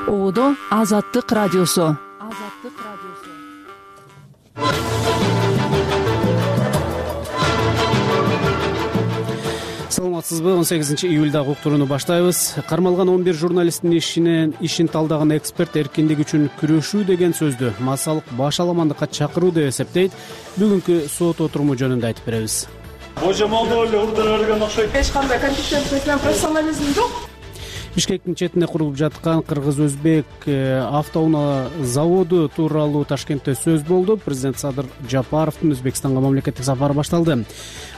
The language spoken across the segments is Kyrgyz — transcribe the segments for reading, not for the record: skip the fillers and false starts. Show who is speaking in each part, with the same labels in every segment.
Speaker 1: Оодо Азаттык радиосу.
Speaker 2: Саламатсызбы? 18-июлдагы уктурууну баштайбыз. Кармалган 11 журналисттин ишин талдаган эксперт эркиндик үчүн күрөшүү деген сөздү массалык башаламандыкка чакыруу деп эсептейт. Бүгүнкү сот отуруму жөнүндө айтып беребиз.
Speaker 3: Божомолдо эле урдура берген окшойт.
Speaker 4: Эч кандай компетенция менен профессионализм жок.
Speaker 2: Бишкектин четинде курулуп жаткан кыргыз-өзбек автоунаа заводу тууралуу Ташкентте сөз болду. Президент Садыр Жапаровдун Өзбекстанга мамлекеттик сапары башталды.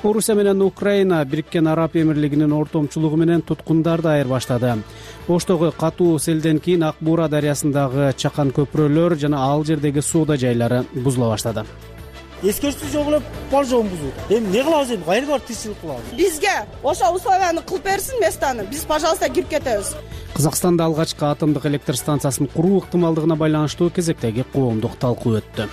Speaker 2: Орусия менен Украина Бириккен Араб Эмирлигинин ортомчулугу менен туткундарды айырбаштады. Оштогу катуу селден кийин Ак Буура дарыясындагы чакан көпүрөлөр жана ал жердеги соода жайлары бузула баштады.
Speaker 5: Эскертүү жок эле бар жогун бузуу. Эми эмне кылабыз, эми кайра барып тирчилик кылабыз?
Speaker 4: Бизге ошо условияны кылып берсин местаны. Биз, пожалуйста, кирип кетебиз.
Speaker 2: Казакстанда алгачкы атомдук электр станциясын куруу ыктымалдыгына байланыштуу кезектеги коомдук талкуу өттү.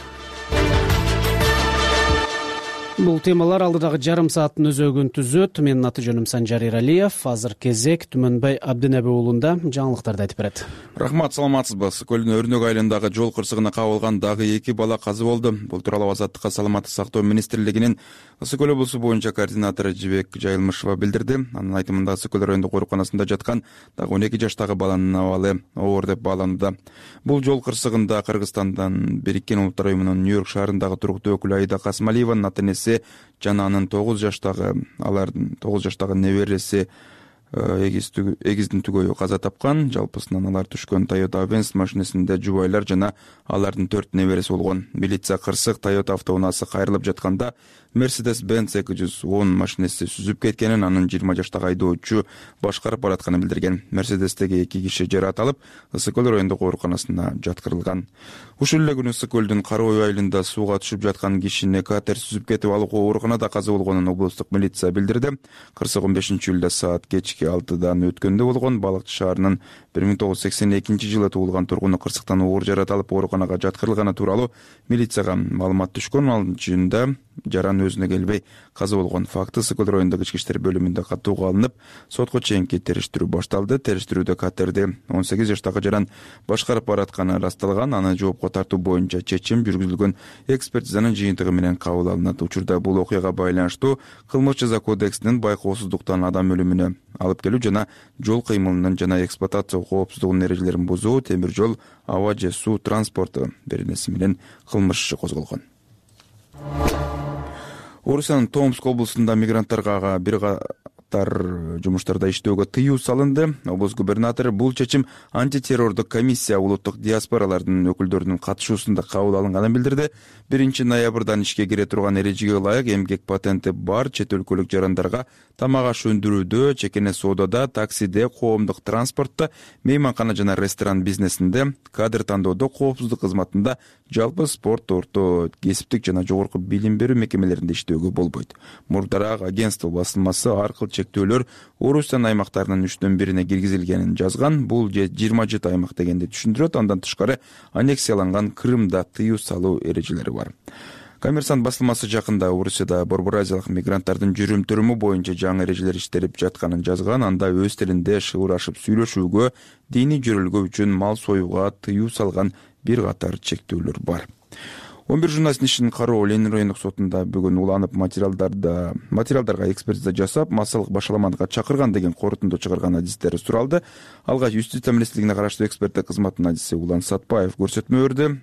Speaker 2: Бул темалар алдыдагы жарым сааттын өзөгүн түзөт. Менин аты жөнүм Санжар Иралиев. Азыр кезек Түмөнбай Абдинеби уулунда жаңылыктарды айтып берет.
Speaker 6: Рахмат, саламатсызбы? Ысык көлдүн Өрнөк айылындагы жол кырсыгына кабылган дагы 2 бала каза болду. Бул тууралуу Азаттыкка саламаттык сактоо министрлигинин Ысык көл облусу боюнча координатору Жибек Жайылмышева билдирди. Анын айтымында Ысык көл райондук ооруканасында жаткан дагы 12 жаштагы баланын абалы оор деп бааланууда. Бул жол кырсыгында Кыргызстандан Бириккен Улуттар уюмунун Нью-Йорк шаарындагы туруктуу өкүлү Аида Касмалиеванын ата-энеси жана анын 9 жаштагы небереси эгиздин түгөйү каза тапкан. Жалпысынан алар түшкөн Toyota Benz машинесинде жубайлар жана алардын 4 небереси болгон. Милиция кырсык Toyota автоунаасы кайрылып жатканда Mercedes-Benz 210 машинеси сүзүп кеткенин, анын 20 жаштагы айдоочу башкарып баратканын билдирген. Мерседестеги 2 киши жаракат алып, Ысык көл райондук ооруканасына жаткырылган. Ушул эле күнү Ысык көлдүн Кароо айылында сууга түшүп жаткан кишини катер сүзүп кетип алып, ооруканада каза болгонун облустук милиция билдирди. Кырсык 15-июлда саат кечки 6-дан өткөндө болгон. Балыкчы шаарынын 1982-жылы туулган тургуну кырсыктан оор жаракат алып, ооруканага жаткырылганы тууралуу милицияга маалымат түшкөн. Ал жөнүндө жаран өзүнө келбей каза болгон факты Ысык көл райондук ички иштер бөлүмүндө каттууга алынып, сотко чейинки териштирүү башталды. Териштирүүдө катерди 18 жаштагы жаран башкарып баратканы ырасталган. Аны жоопко тартуу боюнча чечим жүргүзүлгөн. Экспертизанын жыйынтыгы менен кабыл алынат. Учурда бул окуяга байланыштуу Кылмыш жаза кодексинин байкоосуздуктан адам өлүмүнө алып келүү жана жол кыймылынын жана эксплуатация коопсуздугунун эрежелерин бузуу, темир жол, аба же суу транспорту беренеси менен кылмыш иши козголгон. Орусиянын Томск облусунда мигранттарга бир катар жумуштарда иштөөгө тыюу салынды. Облус губернатору бул чечим антитеррордук комиссия улуттук диаспоралардын өкүлдөрүнүн катышуусунда кабыл алынганын билдирди. 1-ноябрдан ишке кире турган эрежеге ылайык эмгек патенти бар чет өлкөлүк жарандарга тамак аш өндүрүүдө, чекене соодада, таксиде, коомдук транспортто, мейманкана жана ресторан бизнесинде, кадр тандоодо, коопсуздук кызматында, жалпы спорт, орто кесиптик жана жогорку билим берүү мекемелеринде иштөөгө болбойт. Мурдараак агентство басылмасы аркыл чектөөлөр Орусиянын аймактарынын 3/1 киргизилгенин жазган. Бул 27 аймак дегенди түшүндүрөт. Андан тышкары аннексияланган Крымда тыюу салуу эрежелери бар. Коммерсант басылмасы жакында Орусияда борбор-азиялык мигранттардын жүрүм-туруму боюнча жаңы эрежелер иштелип жатканын жазган. Анда өз тилинде шыбырашып сүйлөшүүгө, диний жөрөлгөө үчүн мал союуга тыюу салган бир катар чектөөлөр бар. 11 журналисттин ишин Кароо Ленин райондук сотунда бүгүн уланып материалдарга экспертиза жасап, массалык башаламандыкка чакырган деген корутунду чыгарган адистери суралды. Алгач Юстиция министрлигине караштуу эксперттик кызматтын адиси Улан Сатпаев көрсөтмө берди.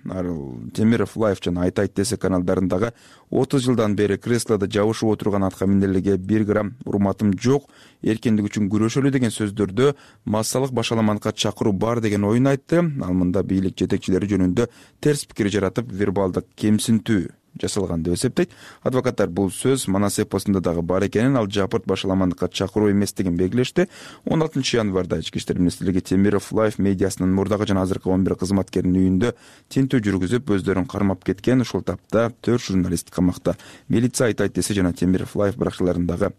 Speaker 6: Темиров Лайф жана Айтайт ТС каналдарындагы 30 жылдан бери креслода жабышып отурган атка минерлерге 1 грамм урматым жок, эркиндик үчүн күрөшөлү деген сөздөрдө массалык башаламандыкка чакыруу бар деген оюн айтты. Ал мында бийлик жетекчилери жөнүндө терс пикир жаратып, вербалдык кемсинтүү жасалган деп эсептейт. Адвокаттар бул сөз Манас эпосунда дагы бар экенин, ал жапырт башаламандыкка чакыруу эместигин белгилешти. 16 январда Ички иштер министрлиги Темиров Лайф медиасынын мурдагы жана азыркы 11 кызматкеринин үйүндө тинтүү жүргүзүп, өздөрүн кармап кеткен. Ушул тапта 4 журналист камакта. Милиция Айтайт ТС жана Темиров Лайф баракчаларындагы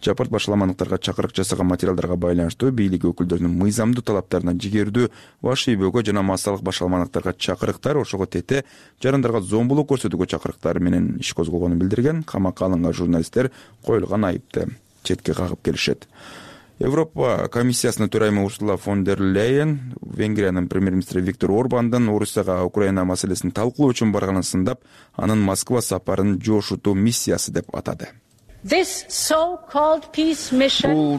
Speaker 6: жапырт башаламандыктарга чакырык жасаган материалдарга байланыштуу бийлик өкүлдөрүнүн мыйзамдуу талаптарына жигердүү баш ийбөөгө жана массалык башаламандыктарга чакырыктар, ошого тете жарандарга зомбулук көрсөтүүгө чакырыктар менен иш козголгонун билдирген. Камакка алынган журналисттер коюлган айыпты четке кагып келишет. Европа комиссиясынын төрайымы Урсула фон дер Лейен Венгриянын премьер-министри Виктор Орбандын Орусияга Украина маселесин талкуулоо үчүн барганын сындап, анын Москва сапарын жошутуу миссиясы деп атады. Бул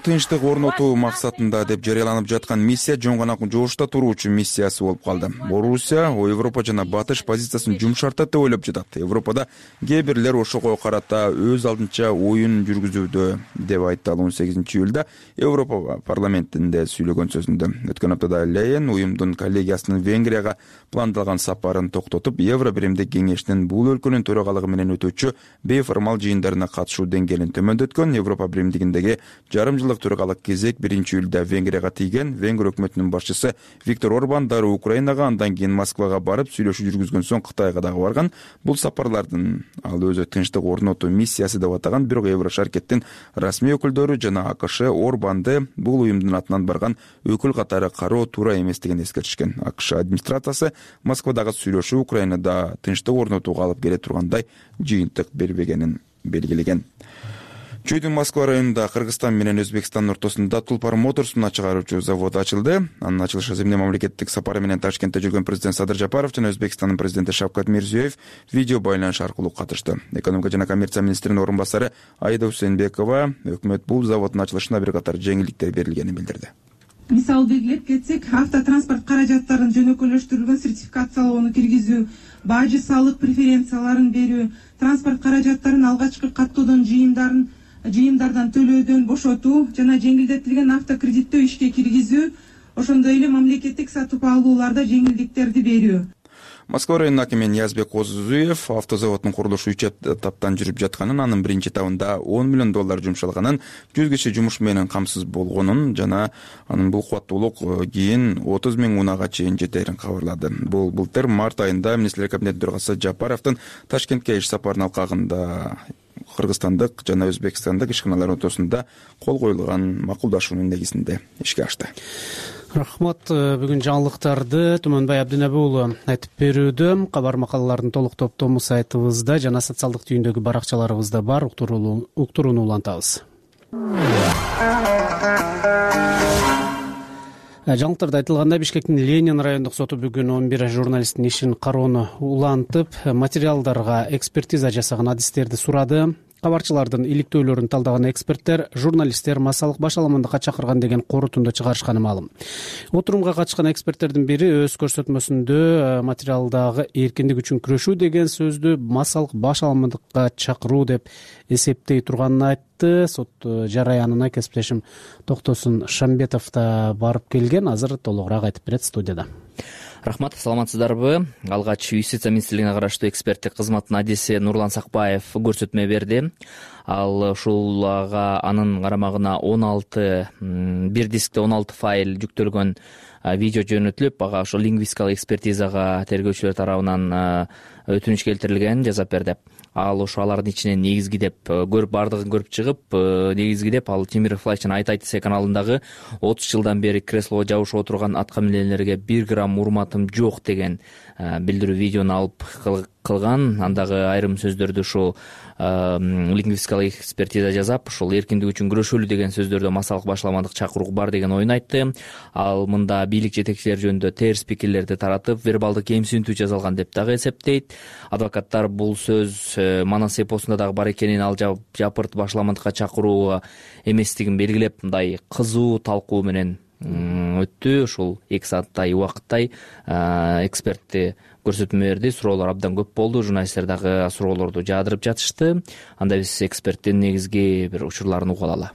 Speaker 6: тынчтык орнотуу максатында деп жарыяланып жаткан миссия жөн гана жошта туруу үчүн миссиясы болуп калды. Орусия Европа жана Батыш позициясын жумшартат деп ойлоп жатат. Европада кээ бирлер ошого карата өз алдынча оюн жүргүзүүдө деп айтты ал 18-июлда Европа парламентинде сүйлөгөн сөзүндө. Өткөн аптада Лейен уюмдун коллегиясынын Венгрияга пландалган сапарын токтотуп, Евро биримдик кеңештин бул өлкөнүн төрагалыгы менен өтүүчү бейформал жыйындарына катышуу төмөндөткөн. Европа биримдигиндеги жарым жылдык төрагалык кезек 1-июлда Венгрияга тийген. Венгр өкмөтүнүн башчысы Виктор Орбан дароо Украинага, андан кийин Москвага барып сүйлөшүү жүргүзгөн соң Кытайга дагы барган. Бул сапарлардын ал өзү тынчтык орнотуу миссиясы деп атаган, бирок Евро шаркеттин расмий өкүлдөрү жана АКШ Орбанды бул уюмдун атынан барган өкүл катары кароо туура эместигин эскертишкен. АКШ администрациясы Москвадагы сүйлөшүү Украинада тынчтык орнотууга алып келе тургандай жыйынтык бербегенин белгилеген. Чүйдүн Москва районунда Кыргызстан менен Өзбекстандын ортосунда Тулпар Моторс муна чыгаруучу завод ачылды. Анын ачылышы эмне мамлекеттик сапары менен Ташкентте жүргөн президент Садыр Жапаров жана Өзбекстандын президенти Шавкат Мирзиёев видео байланыш аркылуу катышты. Экономика жана коммерция министринин орун басары Айда Усенбекова өкмөт бул заводдун ачылышына бир катар жеңилдиктер берилгенин билдирди.
Speaker 7: Мисалы белгилеп кетсек, автотранспорт каражаттарын жөнөкөйлөштүрүлгөн сертификациялоону киргизүү, бажы салык преференцияларын берүү, транспорт каражаттарын алгачкы каттоодон жыйымдардан төлөөдөн бошотуу жана жеңилдетилген автокредиттөө ишке киргизүү, ошондой эле мамлекеттик сатып алууларда жеңилдиктерди берүү.
Speaker 6: Москва районунун акими Ниязбек Козузуев автозаводдун курулушу 3 этаптан жүрүп жатканын, анын биринчи этабында $10 миллион жумшалганын, 100 киши жумуш менен камсыз болгонун жана анын бул кубаттуулук кийин 30 000 унага чейин жетерин кабарлады. Бул былтыр март айында министрлер кабинетинин төрагасы Жапаровдун Ташкентке иш сапарынын алкагында кыргызстандык жана өзбекстандык ишканалар ортосунда кол коюлган макулдашуунун негизинде ишке ашты.
Speaker 2: Рахмат. Бүгүн жаңылыктарды Түмөнбай Абдинеби уулу айтып берүүдө. Кабар макалалардын толук топтому сайтыбызда жана социалдык түйүндөгү баракчаларыбызда бар. Уктурууну улантабыз. Жаңылыктарда айтылгандай, Бишкектин Ленин райондук соту бүгүн 11 журналисттин ишин кароону улантып, материалдарга экспертиза жасаган адистерди сурады. Кабарчылардын иликтөөлөрүн талдаган эксперттер журналисттер массалык баш аламандыкка чакырган деген корутунду чыгарышканы маалым. Отурумга катышкан эксперттердин бири өз көрсөтмөсүндө материалдагы эркиндик үчүн күрөшүү деген сөздү массалык баш аламандыкка чакыруу деп эсептей турганын айтты. Сот жараянына кесиптешим Токтосун Шамбетов да барып келген. Азыр толугураак айтып берет студияда.
Speaker 8: Рахмат, саламатсыздарбы? Алгач Юстиция министрлигине караштуу эксперттик кызматтын адиси Нурлан Сакбаев көрсөтмө берди. Ал ушул анын карамагына 16 бир дискте 16 файл жүктөлгөн видео жөнөтүлүп, ага ошо лингвистикалык экспертизага тергөөчүлөр тарабынан өтүнүч келтирилген жазап берди. Ал ошо алардын ичинен негизги деп бардыгын көрүп чыгып, негизги деп ал Темиров Флайчын Айт Се каналындагы 30 жылдан бери креслого жабышып отурган аткаминерлерге 1 грамм урматым жок деген билдирүү видеону алып кылган. Андагы айрым сөздөрдү ушул лингвистикалык экспертиза жасап, ушул эркиндик үчүн күрөшөлү деген сөздөрдө массалык башаламандык чакыруу бар деген оюн айтты. Ал мында бийлик жетекчилери жөнүндө терс пикирлерди таратып, вербалдык кемсинтүү жасалган деп дагы эсептейт. Адвокаттар бул сөз Манас эпосунда дагы бар экенин, ал жапырт башаламандыкка чакыруу эместигин белгилеп, мындай кызуу талкуу менен өттү. Ушул 2 сааттай убакыттай экспертти көрсөтмө берди. Суроолор абдан көп болду. Журналисттер дагы суроолорду жаадырып жатышты. Анда биз эксперттин негизги бир учурларын угуп алалы.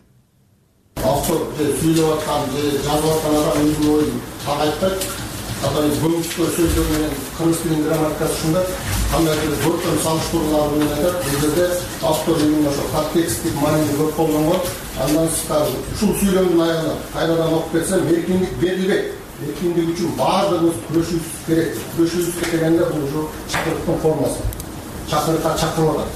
Speaker 9: Автор сүйлөп аткан, жазып аткан адам өзүнүн оюн так айтпайт. Атайын бөлүнүштүү сөздөр менен кыргыз тилинин грамматикасы ушундай. Кандайдыр бөлүм салыштыруулар менен айтат. Бул жерде автор именно ошо контексттик мааниде көп колдонгон. Андан сырткары ушул сүйлөмдүн аягында кайрадан окуп кетсем, эркиндик берилбейт. Эркиндик үчүн баардыгыбыз күрөшүүбүз керек. Күрөшүүбүз дегенде бул ушу чакырыктын формасы. Чакырыкка чакырып атат.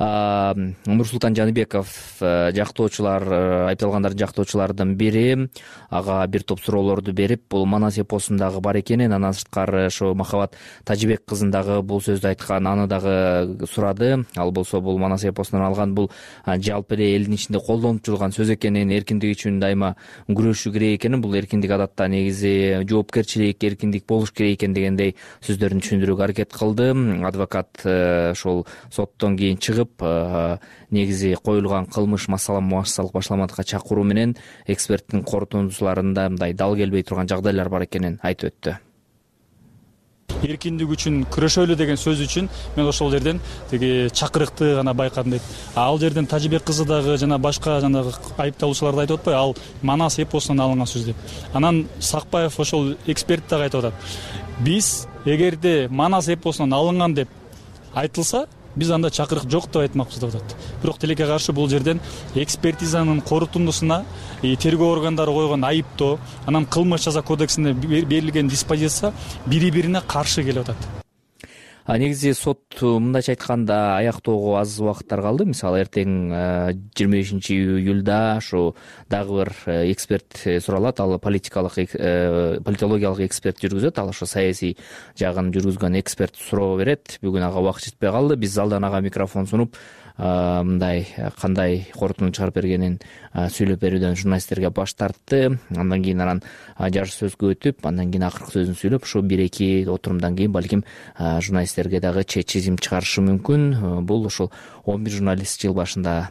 Speaker 8: Нурсултан Жаныбеков жактоочулар, айыпталгандардын жактоочуларынын бири ага бир топ суроолорду берип, бул Манас эпосундагы бар экенин, андан сырткары ошо Махабат Тажибек кызын дагы бул сөздү айткан, аны дагы сурады. Ал болсо бул Манас эпосунан алган, бул жалпы эле элдин ичинде колдонуп жүргөн сөз экенин, эркиндик үчүн дайыма күрөшүү керек экенин, бул эркиндик адатта негизи жоопкерчилик, эркиндик болуш керек экен дегендей сөздөрүн түшүндүрүүгө аракет кылды. Адвокат ошол соттон кийин чыгып, негизи коюлган кылмыш массалык башламадыкка чакыруу менен эксперттин корутундусуларында мындай дал келбей турган жагдайлар бар экенин айтып өттү.
Speaker 3: Эркиндик үчүн күрөшөлү деген сөз үчүн мен ошол жерден тиги чакырыкты гана байкадым дейт. Ал жерден Тажибек кызы дагы жана башка жанагы айыпталуучулар да айтып атпайбы, ал Манас эпосунан алынган сөз деп. Анан Сакпаев ошол эксперт дагы айтып атат. Биз эгерде Манас эпосунан алынган деп айтылса, биз анда чакырык жок деп айтмакпыз деп атат. Бирок тилекке каршы бул жерден экспертизанын корутундусуна тергөө органдары койгон айыптоо, анан кылмыш жаза кодексинде берилген диспозиция бири-бирине каршы келип атат.
Speaker 8: Негизи сот мындайча айтканда аяктоого аз убакыттар калды. Мисалы эртең 25-июлда ушу дагы бир эксперт суралат. Ал политологиялык эксперт жүргүзөт. Ал ошо саясий жагын жүргүзгөн эксперт суроо берет. Бүгүн ага убакыт жетпей калды. Биз залдан ага микрофон сунуп, мындай кандай корутуну чыгарып бергенин сүйлөп берүүдөн журналисттерге баш тартты. Андан кийин анан жаш сөзгө өтүп, андан кийин акыркы сөзүн сүйлөп, ушу 1-2 отурумдан кийин балким журналисттерге дагы чечим чыгарышы мүмкүн. Бул ошол 11 журналист жыл башында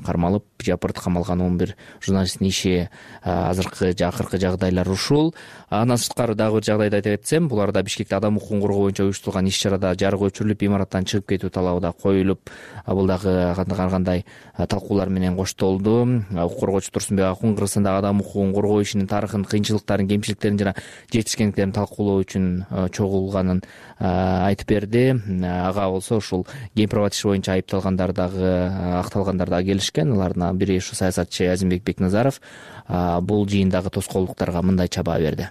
Speaker 8: кармалып, жапырт камалган 11 журналисттин иши, акыркы жагдайлар ушул. Андан сырткары дагы бир жагдайды айтып кетсем, буларда Бишкекте адам укугун коргоо боюнча уюштурулган иш-чарада жарык өчүрүлүп, имараттан чыгып кетүү талабы да коюлуп, бул дагы кандай талкуулар менен коштолду. Укук коргоочу Турсунбек Акун Кыргызстандагы адам укугун коргоо ишинин тарыхын, кыйынчылыктарын, кемчиликтерин жана жетишкендиктерин талкуулоо үчүн чогулганын айтып берди. Ага болсо ушул гейм-права иши боюнча айыпталгандар дагы, акталгандар дагы келишкен. Алардын бири ушу саясатчы Азимбек Бекназаров бул жыйындагы тоскоолдуктарга мындайча баа берди.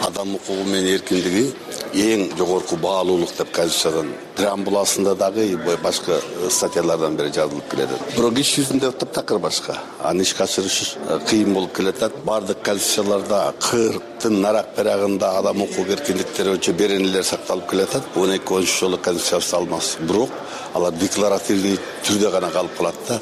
Speaker 10: Адам укугу менен эркиндиги эң жогорку баалуулук деп Конституциядан преамбуласында дагы башка статьялардан бери жазылып келет. Бирок иш жүзүндө таптакыр башка. Аны ишке ашырыш кыйын болуп келет. Бардык конституцияларда 40тын нарак берагында адам укук эркиндиктери боюнча беренелер сакталып келет. 12 жолу конституция алмаз. Бирок алар декларативдүү түрдө гана калып калат.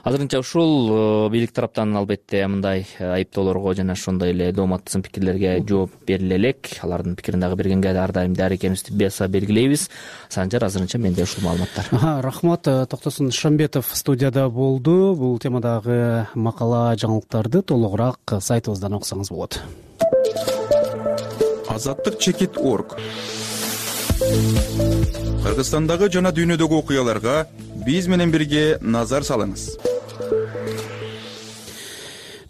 Speaker 8: Азырынча ушул бийлик тараптан албетте мындай айыптоолорго жана ошондой эле дооматтын пикирлерге жооп бериле элек. Алардын пикирин дагы бергенге ар дайым даяр экенибизди баса белгилейбиз. Санжар, азырынча менде ушул маалыматтар.
Speaker 2: Рахмат. Токтосун Шамбетов студияда болду. Бул темадагы макала, жаңылыктарды толугураак сайтыбыздан окусаңыз болот.
Speaker 6: Азаттык.org. Кыргызстандагы жана дүйнөдөгү окуяларга биз менен бирге назар салыңыз.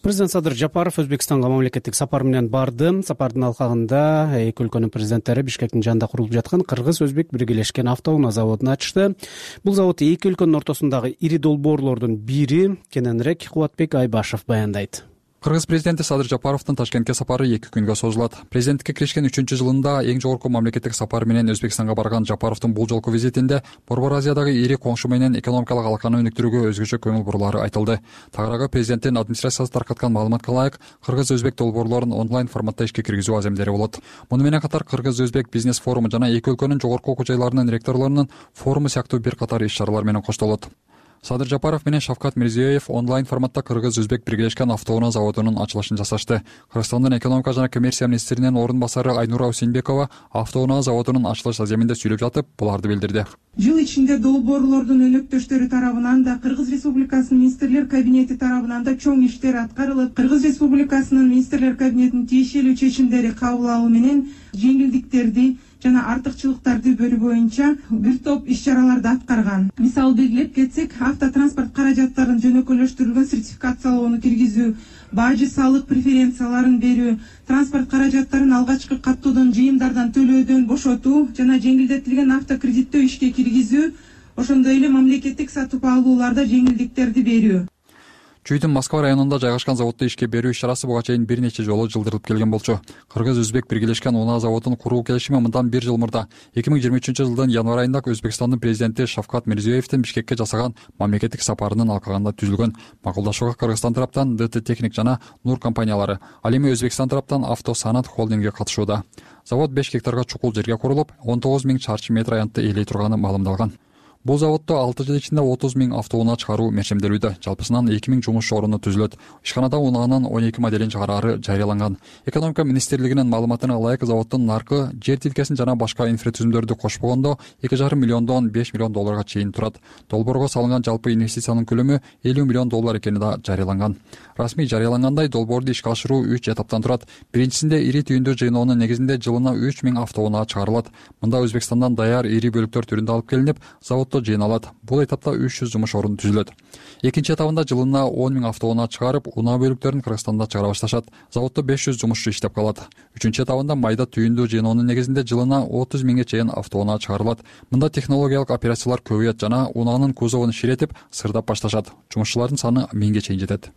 Speaker 2: Президент Садыр Жапаров Өзбекстанга мамлекеттик сапар менен барды. Сапардын алкагында эки өлкөнүн президенттери Бишкектин жанында курулуп жаткан Кыргыз-Өзбек биргелешкен автоунаа заводун ачышты. Бул завод эки өлкөнүн ортосундагы ири долбоорлордун бири. Кененирээк Кубатбек Айбашев баяндайт.
Speaker 11: Кыргыз президенти Садыр Жапаровдун Ташкентке сапары 2 күнгө созулат. Президенттикке киришкен 3-жылында эң жогорку мамлекеттик сапар менен Өзбекстанга барган Жапаровдун бул жолку визитинде Борбор Азиядагы ири коңшу менен экономикалык алаканы өнүктүрүүгө өзгөчө көңүл бурулары айтылды. Тагыраагы президенттин администрациясы таркаткан маалыматка ылайык, Кыргыз-Өзбек долбоорлорун онлайн форматта ишке киргизүү аземдери болот. Муну менен катар Кыргыз-Өзбек бизнес форуму жана эки өлкөнүн жогорку окуу жайларынын ректорлорунун форуму сыяктуу бир катар иш-чаралар менен коштолот. Садыр Жапаров менен Шавкат Мирзиёев онлайн форматта Кыргыз-Өзбек биргелешкен автоунаа заводунун ачылышын жасашты. Кыргызстандын экономика жана коммерция министринин орун басары Айнура Усейнбекова автоунаа заводунун ачылыш аземинде сүйлөп жатып, буларды билдирди.
Speaker 7: Жыл ичинде долбоорлордун өнөктөштөрү тарабынан да, Кыргыз Республикасынын министрлер кабинети тарабынан да чоң иштер аткарылып, Кыргыз Республикасынын министрлер кабинетинин тиешелүү чечимдери кабыл алуу менен жеңилдиктерди жана артыкчылыктарды бөлүү боюнча бир топ иш-чараларды аткарган. Мисалы белгилеп кетсек, автотранспорт каражаттарын жөнөкөлөштүрүлгөн сертификациялоону киргизүү, бажы салык преференцияларын берүү, транспорт каражаттарын алгачкы каттоодон жыйымдардан төлөөдөн бошотуу жана жеңилдетилген автокредиттөө ишке киргизүү, ошондой эле мамлекеттик сатып алууларда жеңилдиктерди берүү.
Speaker 11: Чүйдүн Москва районунда жайгашкан заводду ишке берүү иш-чарасы буга чейин бир нече жолу жылдырылып келген болчу. Кыргыз-өзбек биргелешкен унаа заводун куруу келишими мындан 1 жыл мурда 2023-жылдын январь айында Өзбекстандын президенти Шавкат Мирзиёевдин Бишкекке жасаган мамлекеттик сапарынын алкагында түзүлгөн. Макулдашууга Кыргызстан тараптан ДТ Техник жана Нур компаниялары, ал эми Өзбекстан тараптан Автосанат холдинги катышууда. Завод 5 гектарга чукул жерге курулуп, 19 000 чарчы метр аянтты ээлей турганы маалымдалган. Бул заводдо 6 жыл ичинде 30 000 автоунаа чыгаруу мерчемделүүдө. Жалпысынан 2000 жумуш орunu түзүлөт. Ишканада унаанын 12 моделин чыгараары жарыяланган. Экономика министрлигинин маалыматына ылайык заводдун наркы жер тилкесин жана башка инфратүзүмдөрдү кошпогондо 2,5 миллиондон 5 миллион долларга чейин турат. Долбоорго салынган жалпы инвестициянын көлөмү 50 миллион доллар экени да жарыяланган. Расмий жарыялангандай долбоорду ишке ашыруу 3 этаптан турат. Биринчисинде ири түйүндүү жыйноонун негизинде жылына 3000 автоунаа чыгарылат. Мында Өзбекстандан даяр ири бөлүктөр түрүндө алып келинип, заводдо жыйналат. Бул этапта 300 жумуш орunu түзүлөт. Экинчи этабында жылына 10 000 автоунаа чыгарып, унаа бөлүктөрүн Кыргызстанда чыгара башташат. Заводдо 500 жумушчу иштеп калат. Үчүнчү этабында майда түйүндүү жыйноонун негизинде жылына 30 000ге чейин автоунаа чыгарылат. Мында технологиялык операциялар көбөйөт жана унаанын кузовун ширетип, сырдап башташат. Жумушчулардын саны 1000ге чейин жетет.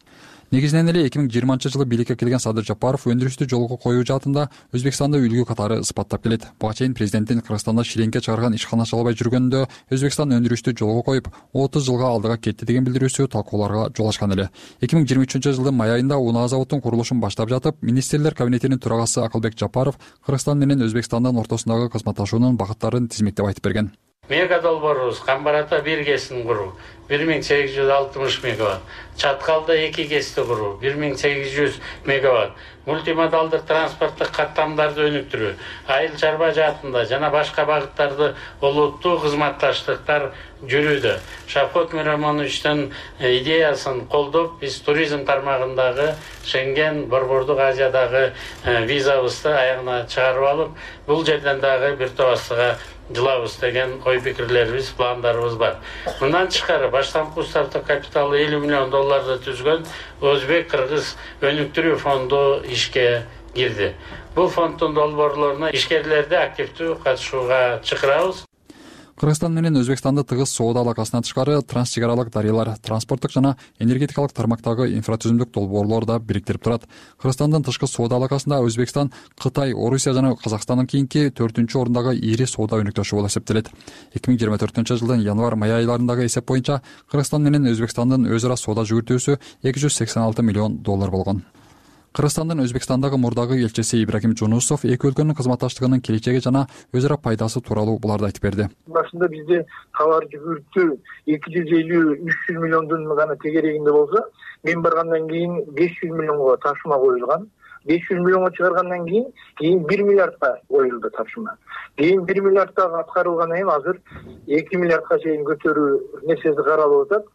Speaker 11: Негизинен эле 2020-жылы бийликке келген Садыр Жапаров өндүрүштү жолго коюу жаатында Өзбекстанды үлгү катары ыспаттап келет. Буга чейин президенттин Кыргызстанда ширеңке чыгарган ишкана чалбай жүргөнүндө Өзбекстан өндүрүштү жолго коюп, 30 жылга алдыга кетти деген билдирүүсү талкууларга жол ачкан эле. 2023-жылдын май айында унаа заводдун курулушун баштап жатып, министрлер кабинетинин төрагасы Акылбек Жапаров Кыргызстан менен Өзбекстандын ортосундагы кызматташуунун багыттарын тизмектеп айтып берген.
Speaker 12: Мега долбоорубуз Камбарата 1 кесин куруу 1860 мегаватт, Чаткалда 2 кести куруу 1800 мегаватт, мультимодалдык транспорттук каттамдарды өнүктүрүү, айыл чарба жаатында жана башка багыттарды олуттуу кызматташтыктар жүрүүдө. Шавкат Миромоновичтин идеясын колдоп, биз туризм тармагындагы Шенген, Борбордук Азиядагы визабызды аягына чыгарып алып, бул жерден дагы бир топастыга жылабыз деген ой пикирлерибиз, пландарыбыз бар. Мындан тышкары баштапкы стартап капиталы 50 миллион долларды түзгөн Өзбек-Кыргыз өнүктүрүү фонду ишке кирди. Бул фонддун долбоорлоруна ишкерлерди активдүү катышууга чакырабыз.
Speaker 11: Кыргызстан менен Өзбекстанды тыгыз соода алакасынан тышкары транс чек аралык дарыялар, транспорттук жана энергетикалык тармактагы инфратүзүмдүк долбоорлор да бириктирип турат. Кыргызстандын тышкы соода алакасында Өзбекстан, Кытай, Орусия жана Казакстандын кийинки 4-ордундагы ири соода өнөктөшү болуп эсептелет. 2024-жылдын январь-май айларындагы эсеп боюнча Кыргызстан менен Өзбекстандын өз ара соода жүгүртүүсү 286 миллион доллар болгон. Кыргызстандын Өзбекстандагы мурдагы элчиси Ибрагим Жунусов эки өлкөнүн кызматташтыгынын келечеги жана өз ара пайдасы тууралуу буларды айтып берди.
Speaker 13: Башында бизде товар жүгүртүү 250-300 миллиондун гана тегерегинде болсо, мен баргандан кийин 500 миллионго тапшырма коюлган. 500 миллионго чыгаргандан кийин 1 миллиардка коюлду тапшырма. Кийин 1 миллиардта аткарылгандан кийин азыр 2 миллиардка чейин көтөрүү нерсеси каралып атат.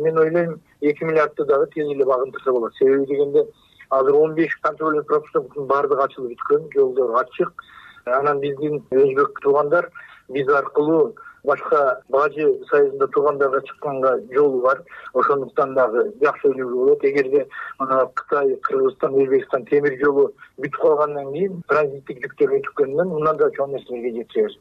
Speaker 13: Мен ойлойм 2 миллиардты дагы тез эле багынтырса болот. Себеби дегенде азыр 15 контрольный пропусктун баардыгы ачылып бүткөн, жолдор ачык. Анан биздин өзбек туугандар биз аркылуу башка Бажы союзунда туугандарга чыкканга жолу бар. Ошондуктан дагы жакшы өнүгүү болот. Эгерде мына Кытай, Кыргызстан, Өзбекстан темир жолу бүтүп калгандан кийин транзиттик жүктөр өтүккөндөн мындан да чоң нерселерге жетебиз.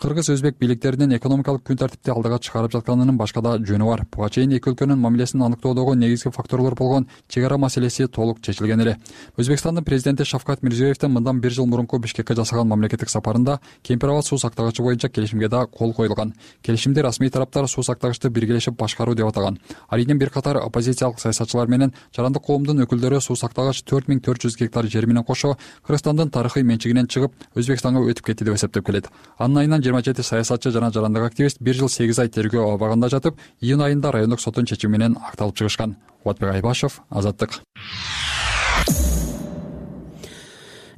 Speaker 11: Кыргыз-өзбек бийликтеринин экономикалык күн тартипти алдыга чыгарып жатканынын башка да жөнү бар. Буга чейин эки өлкөнүн мамилесин аныктоодогу негизги факторлор болгон чек ара маселеси толук чечилген эле. Өзбекстандын президенти Шавкат Мирзиёевдин мындан 1 жыл мурунку Бишкекке жасаган мамлекеттик сапарында Кемпир Абад суу сактагычы боюнча келишимге да кол коюлган. Келишимди расмий тараптар суу сактагычты биргелешип башкаруу деп атаган. Арийден бир катар оппозициялык саясатчылар менен жарандык коомдун өкүлдөрү суу сактагач 4400 гектар жер менен кошо Кыргызстандын тарыхый менчигинен чыгып Өзбекстанга өтүп кетти деп эсептеп келет. Анын айынан 27 саясатчы жана жарандык активист 1 жыл 8 ай тергөө абагында жатып, июнь айында райондук соттун чечими менен акталып чыгышкан. Кубатбек Айбашев, Азаттык.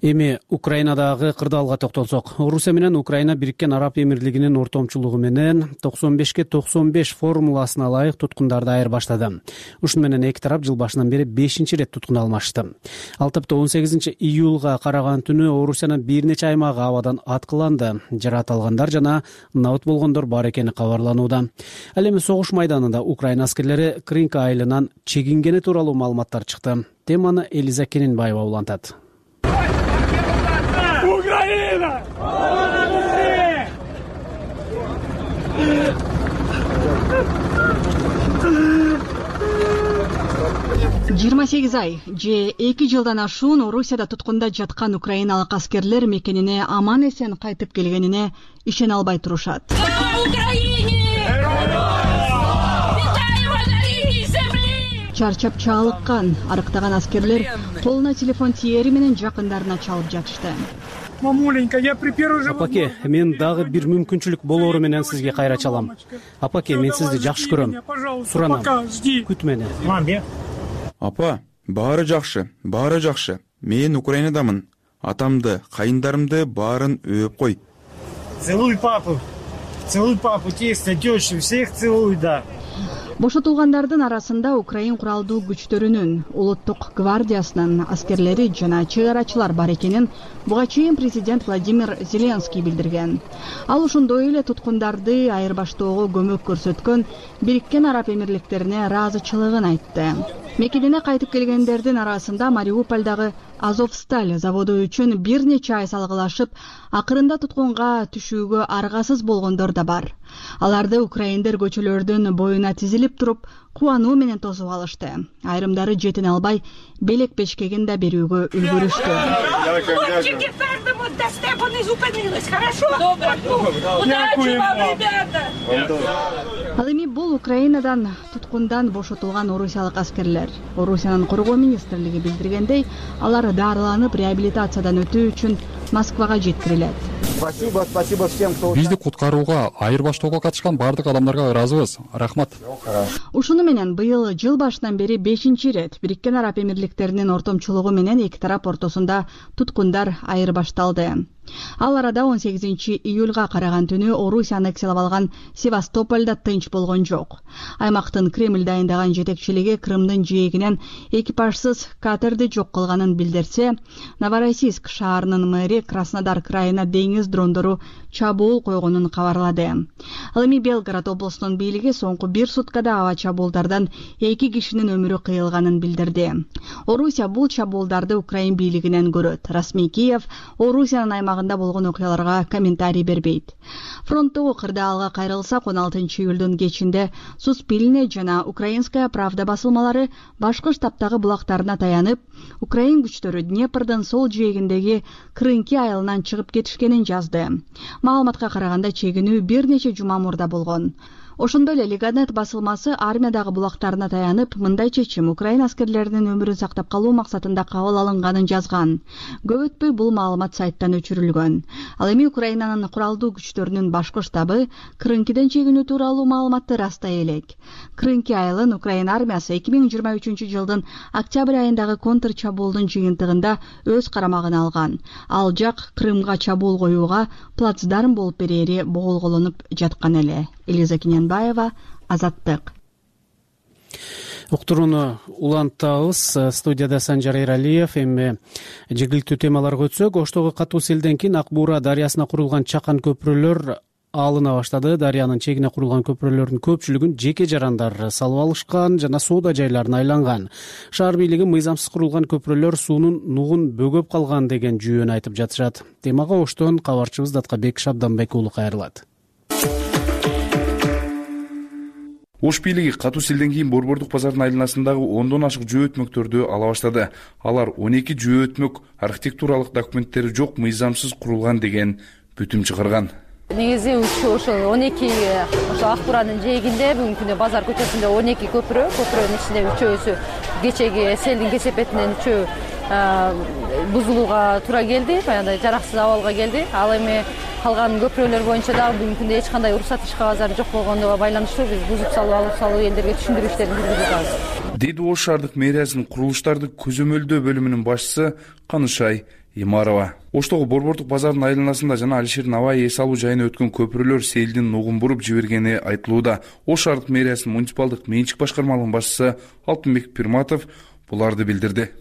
Speaker 2: Эми Украинадагы кырдаалга токтолсок, Орусия менен Украина Бириккен Араб Эмирлигинин ортомчулугу менен 95-95 формуласына ылайык туткундарды айырбаштады. Ушуну менен эки тарап жыл башынан бери 5-рет туткун алмашты. Ал тапта 18-июлга караган түнү Орусиянын бир нече аймагы абадан аткыланды. Жаракат алгандар жана набыт болгондор бар экени кабарланууда. Ал эми согуш майданында Украина аскерлери Кринка айылынан чегингени тууралуу маалыматтар чыкты. Теманы Элиза Кененбаева улантат.
Speaker 14: Украина! 28 ай же 2 жылдан ашуун Орусияда туткунда жаткан украиналык аскерлер мекенине аман эсен кайтып келгенине ишене албай турушат. Чарчап чалыккан, арыктаган аскерлер колуна телефон тиери менен жакындарына чалып жатышты.
Speaker 5: Мамуленька, я при первой же...
Speaker 2: Апаке, мен дагы бир мүмкүнчүлүк болоору менен сизге кайра чалам. Апаке, мен сизди жакшы көрөм. Суранам. Күт мени.
Speaker 6: Апа, баары жакшы. Мен Украинадамын. Атамды, кайындарымды баарын өп кой.
Speaker 5: Целуй папу, тесто, тещу, всех целуй, да.
Speaker 14: Бошотулгандардын арасында Украин куралдуу күчтөрүнүн, улуттук гвардиясынын аскерлери жана чек арачылар бар экенин буга чейин президент Владимир Зеленский билдирген. Ал ошондой эле туткундарды айырбаштоого көмөк көрсөткөн Бириккен Араб Эмирликтерине ыраазычылыгын айтты. Мекенине кайтып келгендердин арасында Мариупольдагы Азовсталь заводу үчүн бир нече ай салгылашып, акырында туткунга түшүүгө аргасыз болгондор да бар. Аларды украиндер көчөлөрдүн боюна тизилип туруп, кубануу менен тосуп алышты. Айрымдары жетине албай, белек бешкегин да берүүгө үлгүрүштү. Ал эми бул Украинадан туткундан бошотулган орусиялык аскерлер. Орусиянын коргоо министрлиги билдиргендей, алар дарыланып реабилитациядан өтүү үчүн Москвага жеткирилет.
Speaker 15: Спасибо всем, кто...
Speaker 11: Бизди куткарууга, айырбаштоого катышкан бардык адамдарга ыраазыбыз. Рахмат.
Speaker 14: Ушуну менен быйыл жыл башынан бери 5-чи ирет Бириккен Араб Эмирликтеринин ортомчулугу менен эки тарап ортосунда туткундар айырбашталды. Ал арада 18 июлга караган түнү Орусия аннексиялап алган Севастопольда тынч болгон жок. Аймактын Кремль дайындаган жетекчилиги Крымдын жээгинен экипажсыз катерди жок кылганын билдирсе, Новороссийск шаарынын мэри Краснодар крайына деңиз дрондору чабуул койгонун кабарлады. Ал эми Белгород облусунун бийлиги соңку 1 суткада аба чабуулдардан 2 кишинин өмүрү кыйылганын билдирди. Орусия бул чабуулдарды Украин бийлигинен көрөт. Расмий Киев Орусиянын аймагында болгон окуяларга комментарий бербейт. Фронттогу кырдаалга кайрылсак, 16 июлдун кечинде Суспильне жана Украинская правда басылмалары башкы штабтагы булактарына таянып, Украин күчтөрү Днепрдын сол жээгиндеги Крынки айылынан чыгып кетишкенин жазды. Маалыматка караганда чегинүү бир нече жума мурда болгон. Ошондой эле Лиганет басылмасы армиядагы булактарына таянып, мындай чечим Украин аскерлеринин өмүрүн сактап калуу максатында кабыл алынганын жазган. Көп өтпөй бул маалымат сайттан өчүрүлгөн. Ал эми Украинанын куралдуу күчтөрүнүн башкы штабы Крынкиден чегинүү тууралуу маалыматты растай элек. Крынки айылын Украин армиясы 2023 жылдын октябрь айындагы контр чабуулдун жыйынтыгында өз карамагына алган. Ал жак Крымга чабуул коюуга плацдарм болуп берери боголголонуп жаткан эле. Элиза Киненбаева, Азаттык.
Speaker 2: Уктурууну улантабыз. Студияда Санжар Эралиев. Эми жергиликтүү темаларга өтсөк, Оштогу катуу селден кийин Ак Буура дарыясына курулган чакан көпүрөлөр алына баштады. Дарыянын чегине курулган көпүрөлөрдүн көпчүлүгүн жеке жарандар салып алышкан жана соода жайларына айланган. Шаар бийлиги мыйзамсыз курулган көпүрөлөр суунун нугун бөгөп калган деген жүйөнү айтып жатышат. Темага Оштон кабарчыбыз Даткабек Шабданбек уулу кайрылат.
Speaker 16: Ош бийлиги катуу селден кийин Борбордук базардын айланасындагы 10дон ашык жөө өтмөктөрдү ала баштады. Алар 12 жөө өтмөк архитектуралык документтери жок мыйзамсыз курулган деген бүтүм чыгарган.
Speaker 17: Негизи ошол 12 ошо Ак Бууранын жээгинде бүгүнкү күндө базар көчөсүндө 12 көпүрөнүн ичинде 3-өсү кечеги селдин кесепетинен 3 бузулууга туура келди, баягындай жараксыз абалга келди. Ал эми калган көпүрөлөр боюнча дагы бүгүнкү күндө эч кандай уруксат иш кагаздар жок болгондугу байланыштуу биз бузуп салуу элдерге түшүндүрүү иштерин жүргүзүп жатабыз.
Speaker 16: Деди Ош шаардык мэриясынын курулуштарды көзөмөлдөө бөлүмүнүн башчысы Канышай Имарова. Оштогу Борбордук базардын айланасында жана Алишер Навай эс алуу жайына өткөн көпүрөлөр селдин нугун буруп жибергени айтылууда. Ош шаардык мэриясынын муниципалдык менчик башкармалыгынын башчысы Алтынбек Пирматов буларды билдирди.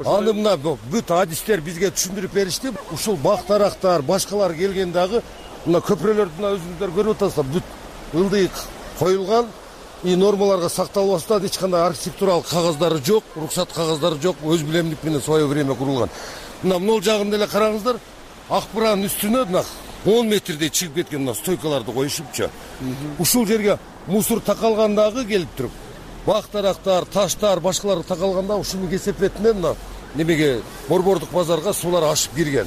Speaker 18: Аны мына бүт адистер бизге түшүндүрүп беришти. Ушул бактарактар, башкалар келген дагы мына көпүрөлөрдүн өзүңүздөр көрүп атасыздар, бүт ылдый коюлган, и нормаларга сакталып атат, эч кандай архитектуралык кагаздары жок, уруксат кагаздары жок, өз билемдик менен свое время курулган. Мына могул жагында эле караңыздар, Ак Бууранын үстүнө мына 10 метрдей чыгып кеткен мына стойкаларды коюшупчу. Ушул жерге мусор такалгандагы келип туруп, бак дарактар, таштар, башкалар такалганда ушунун кесепетинен мына немеге борбордук базарга суулар ашып кирген.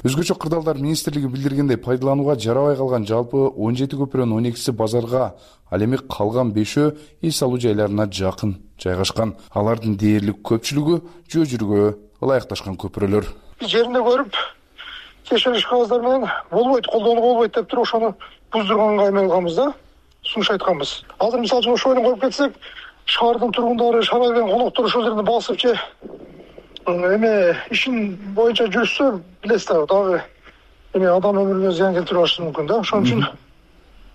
Speaker 16: Өзгөчө кырдаалдар министрлиги билдиргендей, пайдаланууга жарабай калган жалпы 17 көпүрөнүн 12си базарга, ал эми калган 5-өө эс алуу жайларына жакын жайгашкан. Алардын дээрлик көпчүлүгү жөө жүргө ылайыкташкан көпүрөлөр.
Speaker 19: Жеринде көрүп, текшериш кагаздар менен болбойт, колдонууга болбойт деп туруп, ошону буздурганга айналганбыз да, сунуш айтканбыз. Азыр мисалы үчүн ошону коюп кетсек, шаардын тургундары, шаардын коноктор ошол жерде басып же эме ишин боюнча жүрсө, билесиз дагы эме адам өмүрүнө зыян келтирип алышы мүмкүн да. Ошон үчүн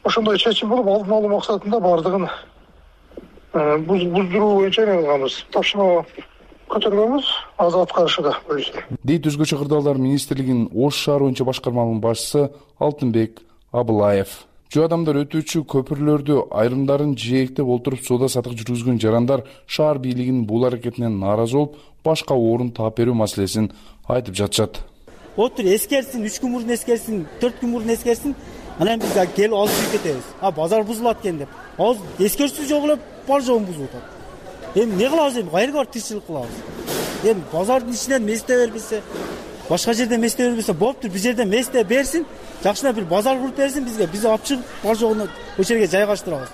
Speaker 19: ошондой чечим болуп, алдын алуу максатында бардыгын буздуруу боюнча эме кылганбыз. Тапшырма көтөргөнбүз, азыр аткарышында өзү.
Speaker 16: Дейт Өзгөчө кырдаалдар министрлигинин Ош шаар боюнча башкармалыгынын башчысы Алтынбек Абылаев. Жөө адамдар өтүүчү көпүрлөрдү айрымдарын жээктеп олтуруп соода сатык жүргүзгөн жарандар шаар бийлигинин бул аракетинен нааразы болуп, башка орун таап берүү маселесин айтып жатышат.
Speaker 5: Отур эскерсин, 3 күн мурун эскерсин, 4 күн мурун эскерсин, анан биз келип алып жүрүп кетебиз. Базар бузулат экен деп. Азыр эскерсиз жок эле бар жогун бузуп атат. Эми эмне кылабыз, эми кайерге барып тиричилик кылабыз? Эми базардын ичинен месте бербесе, башка жерден месте бербесе болуптур, бир жерден месте берсин, жакшына бир базар куруп берсин бизге, биз алып чыгып бар жогуна ошол жерге жайгаштырабыз.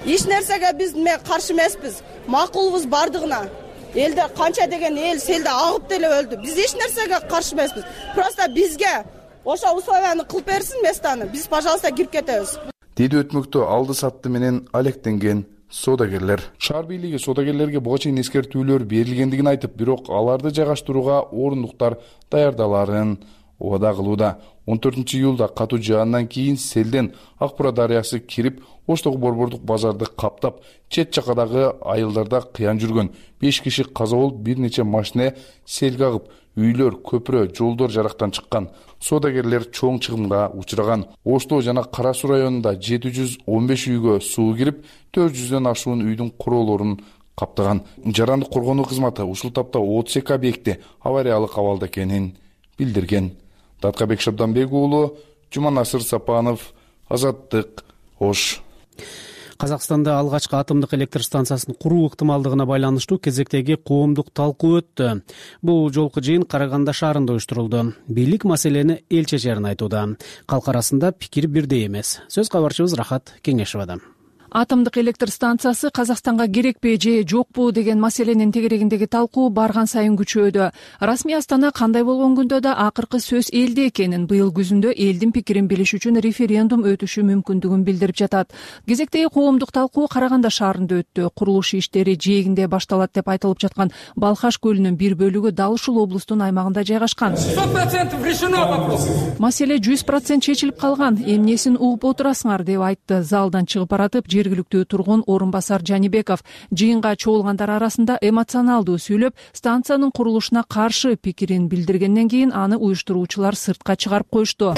Speaker 4: Эч нерсеге биз каршы эмеспиз. Макулбуз бардыгына. Элде канча деген эл селде агып деле өлдү. Биз эч нерсеге каршы эмеспиз. Просто бизге ошо условияны кылып берсин местаны. Биз, пожалуйста, кирип кетебиз.
Speaker 16: Деди өтмөктө алды сатты менен алектенген соодагерлер. Шаар бийлиги соодагерлерге буга чейин эскертүүлөр берилгендигин айтып, бирок аларды жайгаштырууга орундуктар даярдаларын убада кылууда. 14 июлда катуу жаандан кийин селден Акбура дарыясы кирип, Оштогу борбордук базарды каптап, чет жакадагы айылдарда кыян жүргөн. 5 киши каза болуп, бир нече машина селге агып, үйлөр, көпүрө, жолдор жарактан чыккан. Соодагерлер чоң чыгымга учураган. Оштоо жана Кара Суу районунда 715 үйгө суу кирип, 400дөн ашуун үйдүн куроолорун каптаган. Жарандык коргонуу кызматы ушул тапта 32 объекти авариялык абалда экенин билдирген. Даткабек Шабданбек уулу, Жуманасыр Сапанов, Азаттык, Ош.
Speaker 2: Казакстанда алгачкы атомдук электр станциясын куруу ыктымалдыгына байланыштуу кезектеги коомдук талкуу өттү. Бул жолку жыйын Караганда шаарында уюштурулду. Бийлик маселени эл чечерин айтууда. Калк арасында пикир бирдей эмес. Сөз кабарчыбыз Рахат Кеңешовада.
Speaker 1: Атомдук электр станциясы Казакстанга керекпи же жокпу деген маселенин тегерегиндеги талкуу барган сайын күчөдү. Расмий Астана кандай болгон күндө да акыркы сөз элде экенин, быйыл күзүндө элдин пикирин билиш үчүн референдум өтүшү мүмкүндүгүн билдирип жатат. Кезектеги коомдук талкуу Караганда шаарында өттү. Курулуш иштери жээгинде башталат деп айтылып жаткан Балхаш көлүнүн бир бөлүгү дал ушул облустун аймагында жайгашкан. 100% решено вопрос. Маселе 100% чечилип калган. Эмнесин угуп отурасыңар деп айтты. Залдан чыгып баратып жергиликтүү тургун орун басар Жанибеков жыйынга чогулгандар арасында эмоционалдуу сүйлөп, станциянын курулушуна каршы пикирин билдиргенден кийин аны уюштуруучулар сыртка чыгарып коюшту.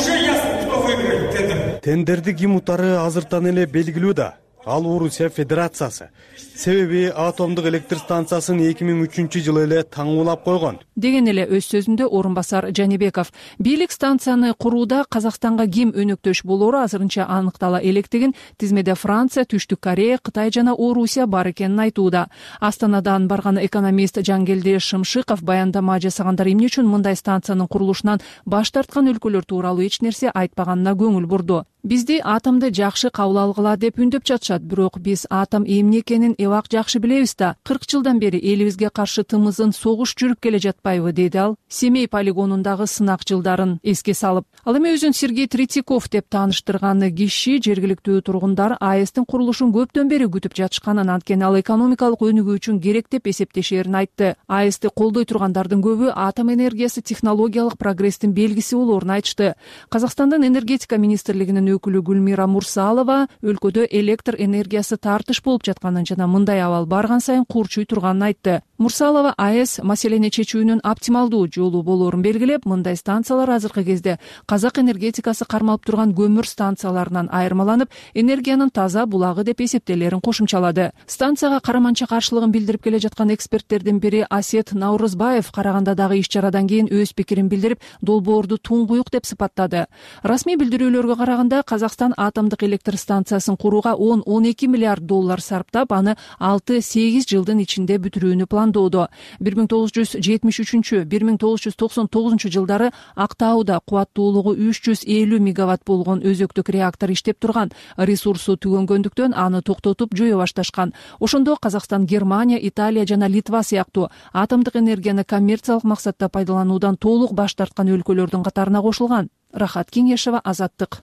Speaker 20: Тендерди ким утары азыртан эле белгилүү да. Ал Орусия Федерациясы. Себеби атомдук электр станциясын 2003-жылы эле таңуулап койгон.
Speaker 1: Деген эле өз сөзүндө орун басар Жанибеков бийлик станцияны курууда Казакстанга ким өнөктөш болору азырынча аныктала электигин, тизмеде Франция, Түштүк Корея, Кытай жана Орусия бар экенин айтууда. Астанадан барган экономист Жангелди Шымшыков баяндама жасагандар эмне үчүн мындай станциянын курулушунан баш тарткан өлкөлөр тууралуу эч нерсе айтпаганына көңүл бурду. Бизди атомду жакшы кабыл алгыла деп үндөп жатышат, бирок биз атом эмне экенин эбак жакшы билебиз да. 40 жылдан бери элибизге каршы тымызын согуш жүрүп келе жатпайбы, деди ал Семей полигонундагы сынак жылдарын эске салып. Ал эми өзүн Сергей Третьяков деп тааныштырган киши жергиликтүү тургундар АЭСтин курулушун көптөн бери күтүп жатышканын, анткени ал экономикалык өнүгүү үчүн керек деп эсептешерин айтты. АЭСти колдой тургандардын көбү атом энергиясы технологиялык прогресстин белгиси болоорун айтышты. Казакстандын энергетика министрлигинин өкүлү Гүлмира Мурсалова өлкөдө электр энергиясы тартыш болуп жатканын жана мындай абал барган сайын курчуй турганын айтты. Мурсалова АЭС маселени чечүүнүн оптималдуу жолу болоорун белгилеп, мындай станциялар азыркы кезде казак энергетикасы кармалып турган көмүр станцияларынан айырмаланып, энергиянын таза булагы деп эсептелерин кошумчалады. Станцияга караманча каршылыгын билдирип келе жаткан эксперттердин бири Асет Наурызбаев Карагандадагы иш-чарадан кийин өз пикирин билдирип, долбоорду туңгуюк деп сыпаттады. Расмий билдирүүлөргө караганда Казакстан атомдук электр станциясын курууга 10-12 миллиард доллар сарптап, аны 6-8 жылдын ичинде бүтүрүүнү пландоодо. 1973-1999 жылдары Актауда кубаттуулугу 350 мегаватт болгон өзөктүк реактор иштеп турган. Ресурсу түгөнгөндүктөн аны токтотуп жое башташкан. Ошондо Казакстан Германия, Италия жана Литва сыяктуу атомдук энергияны коммерциялык максатта пайдалануудан толук баш тарткан өлкөлөрдүн катарына кошулган. Рахат Кеңешева, Азаттык.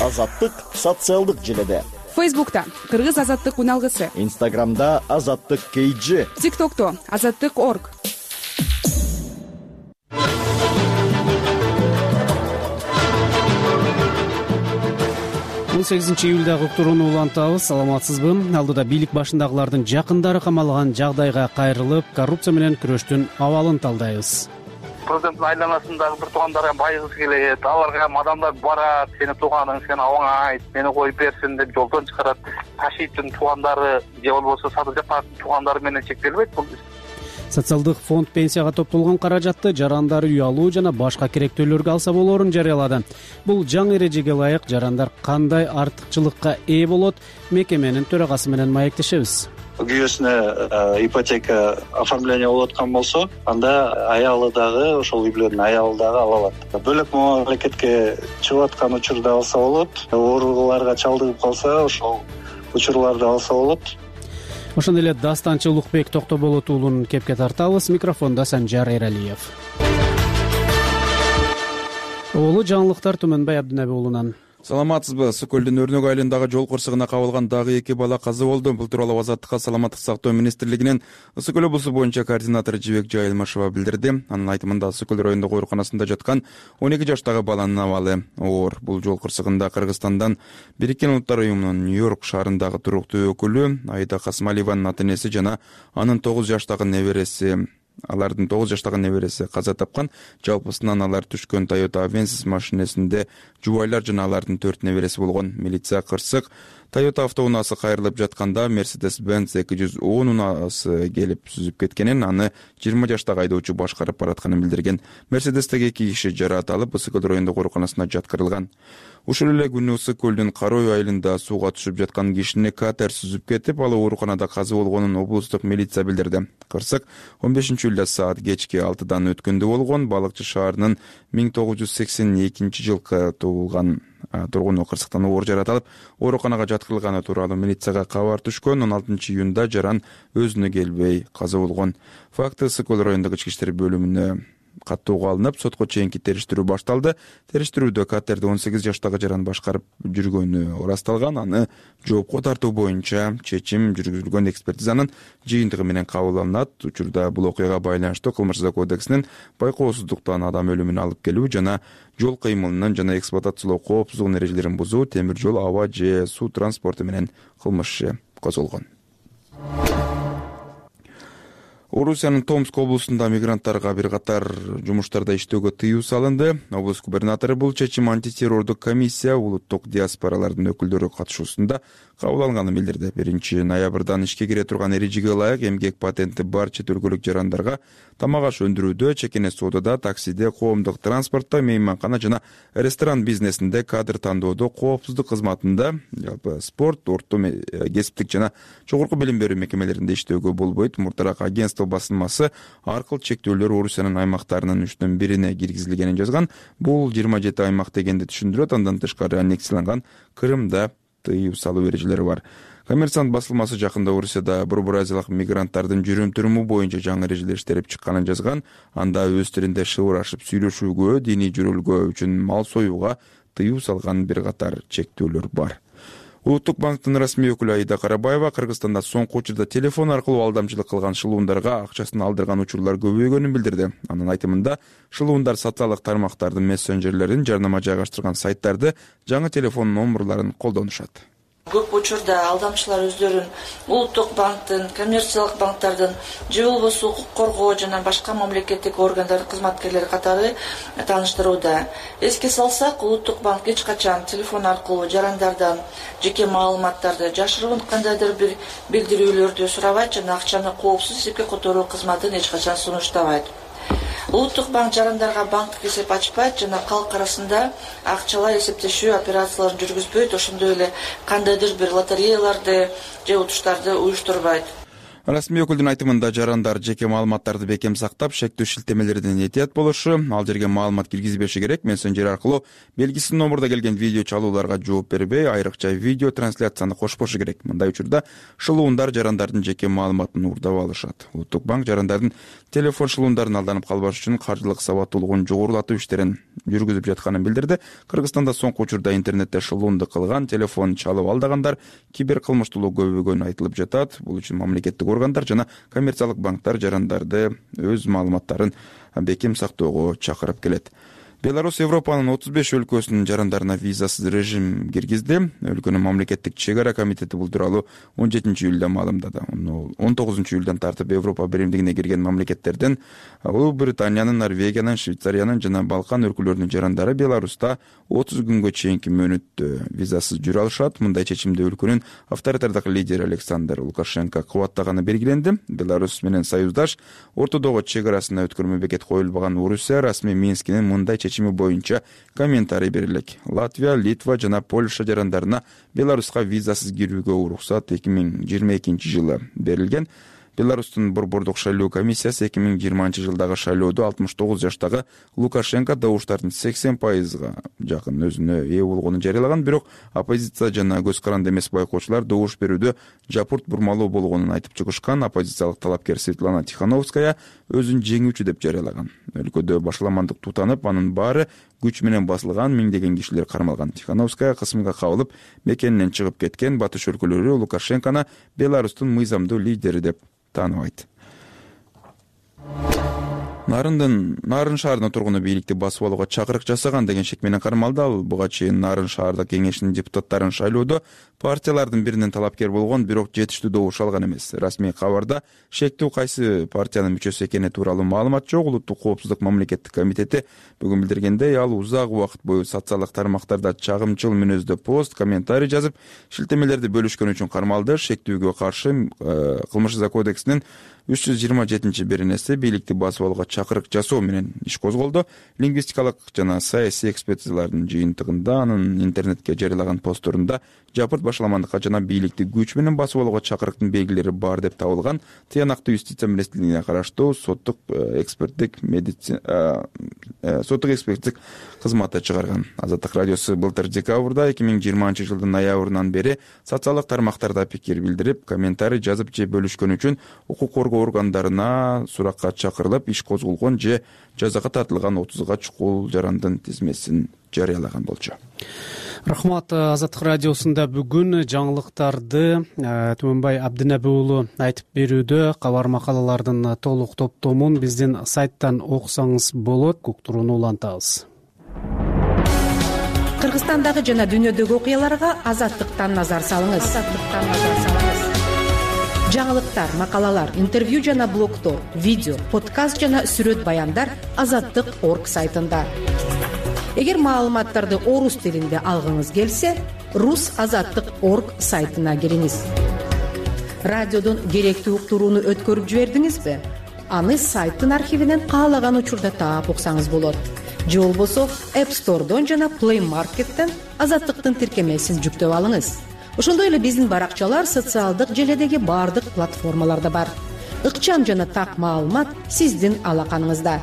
Speaker 21: Азаттык социалдык желеде.
Speaker 22: Фейсбукта Кыргыз азаттык уналгысы.
Speaker 21: Инстаграмда Азаттык KG.
Speaker 22: ТикТокто Азаттык.org.
Speaker 2: 18 июлдагы уктурууну улантабыз. Саламатсызбы? Алдыда бийлик башындагылардын жакындары камалган жагдайга кайрылып, коррупция менен күрөштүн абалын талдайбыз.
Speaker 23: Президенттин айланасындагы бир туугандарга байгысы келет, аларга адамдар барат, сени тууганың, сен абаңа айт, мени коюп берсин деп жолдон чыгарат. Ташиевдин туугандары же болбосо Садыр Жапаровдун туугандары менен чектелбейт бул.
Speaker 2: Социалдык фонд пенсияга топтолгон каражатты жарандар үй алуу жана башка керектөөлөргө алса болоорун жарыялады. Бул жаңы эрежеге ылайык жарандар кандай артыкчылыкка ээ болот? Мекеменин төрагасы менен маектешебиз.
Speaker 24: Күйөөсүнө ипотека оформление болуп аткан болсо, анда аялы дагы ошол үй бүлөнүн аялы дагы ала алат. Бөлөк мамлекетке чыгып аткан учурда алса болот. Ооруларга чалдыгып калса, ошол учурларды алса болот.
Speaker 2: Ошондой эле дастанчы Улукбек Токтоболот уулун кепке тартабыз. Микрофондо Санжар Эралиев. Улуу жаңылыктар Түмөнбай Абдынаби уулунан.
Speaker 6: Саламатсызбы? Сокөлдүн Өрнөк айылындагы жол кырсыгына кабылган дагы 2 бала каза болду. Бул тууралуу Азаттыкка саламаттык сактоо министрлигинин Ысык көл облусу боюнча координатору Жибек Жайылмашева билдирди. Анын айтымында Ысык көл райондук ооруканасында жаткан 12 жаштагы баланын абалы оор. Бул жол кырсыгында Кыргызстандан Бириккен Улуттар уюмунун Нью-Йорк шаарындагы туруктуу өкүлү Айда Касмалиеванын ата-энеси жана анын 9 жаштагы небереси каза тапкан. Жалпысынан алар түшкөн Toyota Avensis машинесинде жубайлар жана алардын 4 небереси болгон. Милиция кырсык Toyota автоунаасы кайрылып жатканда Mercedes-Benz 210 унаасы келип сүзүп кеткенин, аны 20 жаштагы айдоочу башкарып баратканын билдирген. Mercedes-теги 2 киши жараат алып, Ысык көл райондук ооруканасына жаткырылган. Ушул эле күнү Ысык көлдүн Карой айылында сууга түшүп жаткан кишини катер сүзүп кетип, ал ооруканада каза болгонун облустук милиция билдирди. Кырсык 15 июлда саат кечки 6-дан өткөндө болгон. Балыкчы шаарынын 1982 жылкы туулган тургуну кырсыктан оор жараат алып, ооруканага жаткырылганы тууралуу милицияга кабар түшкөн. 16 июнда жаран өзүнө келбей каза болгон. Факты Ысык көл райондук ички иштер бөлүмүнө каттоого алынып, сотко чейинки териштирүү башталды. Териштирүүдө катерди 18 жаштагы жаран башкарып жүргөнү ырасталган. Аны жоопко тартуу боюнча чечим жүргүзүлгөн. Экспертизанын жыйынтыгы менен кабыл алынат. Учурда бул окуяга байланыштуу Кылмыш жаза кодексинин байкоосуздуктан адам өлүмүнө алып келүү жана жол кыймылынын жана эксплуатациялоо коопсуздугунун эрежелерин бузуу, темир жол, аба же суу транспорту менен кылмыш иши козголгон. Орусиянын Томск облусунда мигранттарга бир катар жумуштарда иштөөгө тыюу салынды. Облус губернатору бул чечим антитеррордук комиссия улуттук диаспоралардын өкүлдөрү катышуусунда кабыл алынганын билдирди. 1 ноябрдан ишке кире турган эрежеге ылайык эмгек патенти бар чет өлкөлүк жарандарга тамак аш өндүрүүдө, чекене соодада, таксиде, коомдук транспортто, мейманкана жана ресторан бизнесинде, кадр тандоодо, коопсуздук кызматында, жалпы спорт, орто кесиптик жана жогорку билим берүү мекемелеринде иштөөгө болбойт. Мурдараак агентство басылмасы аркылуу чектөөлөр Орусиянын аймактарынын 3/1 киргизилгенин жазган. Бул 27 аймак дегенди түшүндүрөт. Андан тышкары аннексияланган Крымда тыюу салуу эрежелери бар. Коммерсант басылмасы жакында Орусияда Бурбуразиялык мигранттардын жүрүм-туруму боюнча жаңы эрежелер иштелип чыкканын жазган. Анда өз тилинде шыбырашып сүйлөшүүгө, диний жүрөлгөө үчүн мал союуга тыюу салган бир катар чектөөлөр бар. Улуттук банктын расмий өкүлү Айда Карабаева Кыргызстанда соңку учурда телефон аркылуу алдамчылык кылган шылуундарга акчасын алдырган учурлар көбөйгөнүн билдирди. Анын айтымында шылуундар социалдык тармактардын мессенджерлерин, жарнама жайгаштырган сайттарды, жаңы телефон номерларын колдонушат.
Speaker 25: Көп учурда алдамчылар өздөрүн улуттук банктын, коммерциялык банктардын же болбосо укук коргоо жана башка мамлекеттик органдардын кызматкерлери катары тааныштырууда. Эске салсак, улуттук банк эч качан телефон аркылуу жарандардан жеке маалыматтарды, жашыруун кандайдыр бир билдирүүлөрдү сурабайт жана акчаны коопсуз эсепке которуу кызматын эч качан сунуштабайт. Улуттук банк жарандарга банктык эсеп ачпайт жана калк арасында акчалар эсептешүү операцияларын жүргүзбөйт, ошондой эле кандайдыр бир лотереяларды же утуштарды уюштурбайт.
Speaker 6: Расмий өкүлдүн айтымында жарандар жеке маалыматтарды бекем сактап, шектүү шилтемелерден этият болушу, ал жерге маалымат киргизбеши керек. Мессенджер аркылуу белгисиз номурда келген видео чалууларга жооп бербей, айрыкча видео трансляцияны кошпошу керек. Мындай учурда шылуундар жарандардын жеке маалыматын уурдап алышат. Улуттук банк жарандардын телефон шылуундарын алданып калбаш үчүн каржылык сабаттуулугун жогорулатуу иштерин жүргүзүп жатканын билдирди. Кыргызстанда соңку учурда интернетте шылуунду кылган, телефон чалып алдаган кибер кылмыштуулук көбөйгөнү айтылып жатат. Бул үчүн мамлекеттик органдар жана коммерциялык банктар жарандарды өз маалыматтарын бекем сактоого чакырып келет. Беларусь Европанын 35 өлкөсүнүн жарандарына визасыз режим киргизди. Өлкөнүн мамлекеттик чек ара комитети бул тууралуу 17 июлда маалымдады. 19 июлдан тартып Европа биримдигине кирген мамлекеттерден Улуу Британиянын, Норвегиянын, Швейцариянын жана Балкан өлкөлөрүнүн жарандары Беларуста 30 күнгө чейинки мөөнөттө визасыз жүрө алышат. Мындай чечимди өлкөнүн авторитардык лидери Александр Лукашенко кубаттаганы белгиленди. Беларусь менен союздаш ортодогу чек арасына өткөрмө бекет коюлбаган Орусия расмий Минскинин мындай чечими боюнча комментарий берилек. Латвия, Литва жана Польша жарандарына Беларуска визасыз кирүүгө уруксат 2022 жылы берилген. Беларустун борбордук шайлоо комиссиясы 2020 жылдагы шайлоодо 69 жаштагы Лукашенко добуштардын 80%га жакын өзүнө ээ болгонун жарыялаган, бирок оппозиция жана көз каранды эмес байкоочулар добуш берүүдө жапырт бурмалоо болгонун айтып чыгышкан. Оппозициялык талапкер Светлана Тихановская өзүн жеңүүчү деп жарыялаган. Өлкөдө башаламандык тутанып, анын баары күч менен басылган, миңдеген кишилер кармалган. Тихановская кысымга кабылып, мекенинен чыгып кеткен. Батыш өлкөлөрү Лукашенкону Беларустун мыйзамдуу лидери деп тааныбайт. Нарын шаарынын тургуну бийликти басып алууга чакырык жасаган деген шек менен кармалды. Ал буга чейин Нарын шаардык кеңешинин депутаттарын шайлоодо партиялардын биринен талапкер болгон, бирок жетиштүү добуш алган эмес. Расмий кабарда шектүү кайсы партиянын мүчөсү экени тууралуу маалымат жок. Улуттук коопсуздук мамлекеттик комитети бүгүн билдиргендей, ал узак убакыт бою социалдык тармактарда чагымчыл мүнөздө пост, комментарий жазып, шилтемелерди бөлүшкөн үчүн кармалды. Шектүүгө каршы Кылмыш кодексинин 327 беренеси бийликти басып алууга чакырык жасоо менен иш козголду. Лингвистикалык жана саясий экспертизалардын жыйынтыгында анын интернетке жарыялаган постторунда жапырт башаламандыкка жана бийликти күч менен басып алууга чакырыктын белгилери бар деп табылган. Тыянактуу юстиция министрлигине караштуу соттук эксперттик кызматы чыгарган. Азаттык радиосу былтыр декабрда 2020 жылдын ноябрынан бери социалдык тармактарда пикир билдирип, комментарий жазып же бөлүшкөн үчүн укук коргоо органдарына суракка чакырылып, иш козголгон же жазага тартылган 30га чукул жарандын тизмесин жарыялаган болчу.
Speaker 2: Рахмат. Азаттык радиосунда бүгүн жаңылыктарды Түмөнбай Абдинеби уулу айтып берүүдө. Кабар макалалардын толук топтомун биздин сайттан окусаңыз болот. Уктурууну улантабыз.
Speaker 22: Кыргызстандагы жана дүйнөдөгү окуяларга Азаттыктан назар салыңыз. Жаңылыктар, макалалар, интервью жана блогтор, видео, подкаст жана сүрөт баяндар Азаттык.орг сайтында. Эгер маалыматтарды орус тилинде алгыңыз келсе, rusazаттык.org сайтына кириңиз. Радиодон керектүү уктурууну өткөрүп жибердиңизби? Аны сайттын архивинен каалаган учурда таап уксаңыз болот. Же болбосо App Store'дон жана Play Market'тен Азаттыктын тиркемесин жүктөп алыңыз. Ошондой эле биздин баракчалар социалдык желедеги бардык платформаларда бар. Ыкчам жана так маалымат сиздин алаканыңызда.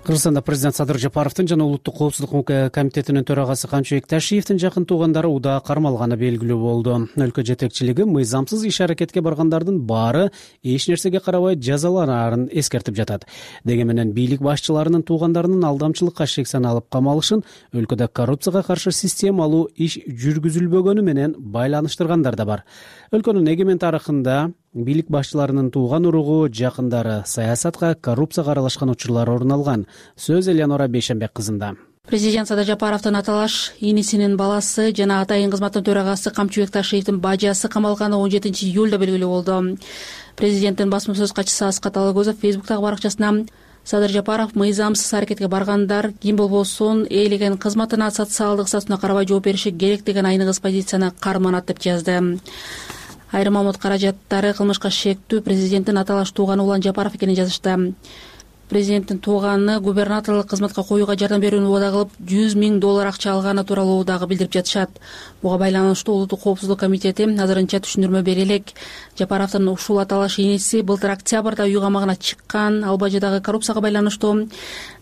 Speaker 2: Кыргызстанда президент Садыр Жапаровдун жана улуттук коопсуздук комитетинин төрагасы Камчыбек Ташиевдин жакын туугандары уда кармалганы белгилүү болду. Өлкө жетекчилиги мыйзамсыз иш аракетке баргандардын баары эч нерсеге карабай жазаланарын эскертип жатат. Деги менен бийлик башчыларынын туугандарынын алдамчылыкка шек саналып камалышын өлкөдө коррупцияга каршы системалуу иш жүргүзүлбөгөнү менен байланыштыргандар да бар. Өлкөнүн эгемен тарыхында бийлик башчыларынын тууган уругу, жакындары саясатка, коррупцияга аралашкан учурлар орун алган. Сөз Элеонора Бейшенбек кызында.
Speaker 3: Президент Садыр Жапаровдун аталаш инисинин баласы жана атайын кызматтын төрагасы Камчыбек Ташиевдин бажасы камалганы 17 июлда белгилүү болду. Президенттин басма сөз катчысы Аскат Алагөзов Фейсбуктагы баракчасына Садыр Жапаров мыйзамсыз аракетке баргандар ким болбосун ээлеген кызматына социалдык статусуна карабай жооп бериши керек деген айныгыс позицияны карманат деп жазды. Айрым амот каражаттары кылмышка шектүү президенттин аталаш тууганы Улан Жапаров экенин жазышты. Президенттин тууганы губернаторлук кызматка коюуга жардам берүүнү убада кылып $100 000 акча алганы тууралуу дагы билдирип жатышат. Буга байланыштуу Улуттук коопсуздук комитети азырынча түшүндүрмө бере элек. Жапаровдун ушул аталаш ээси былтыр октябрда үй камагына чыккан, ал бажыдагы коррупцияга байланыштуу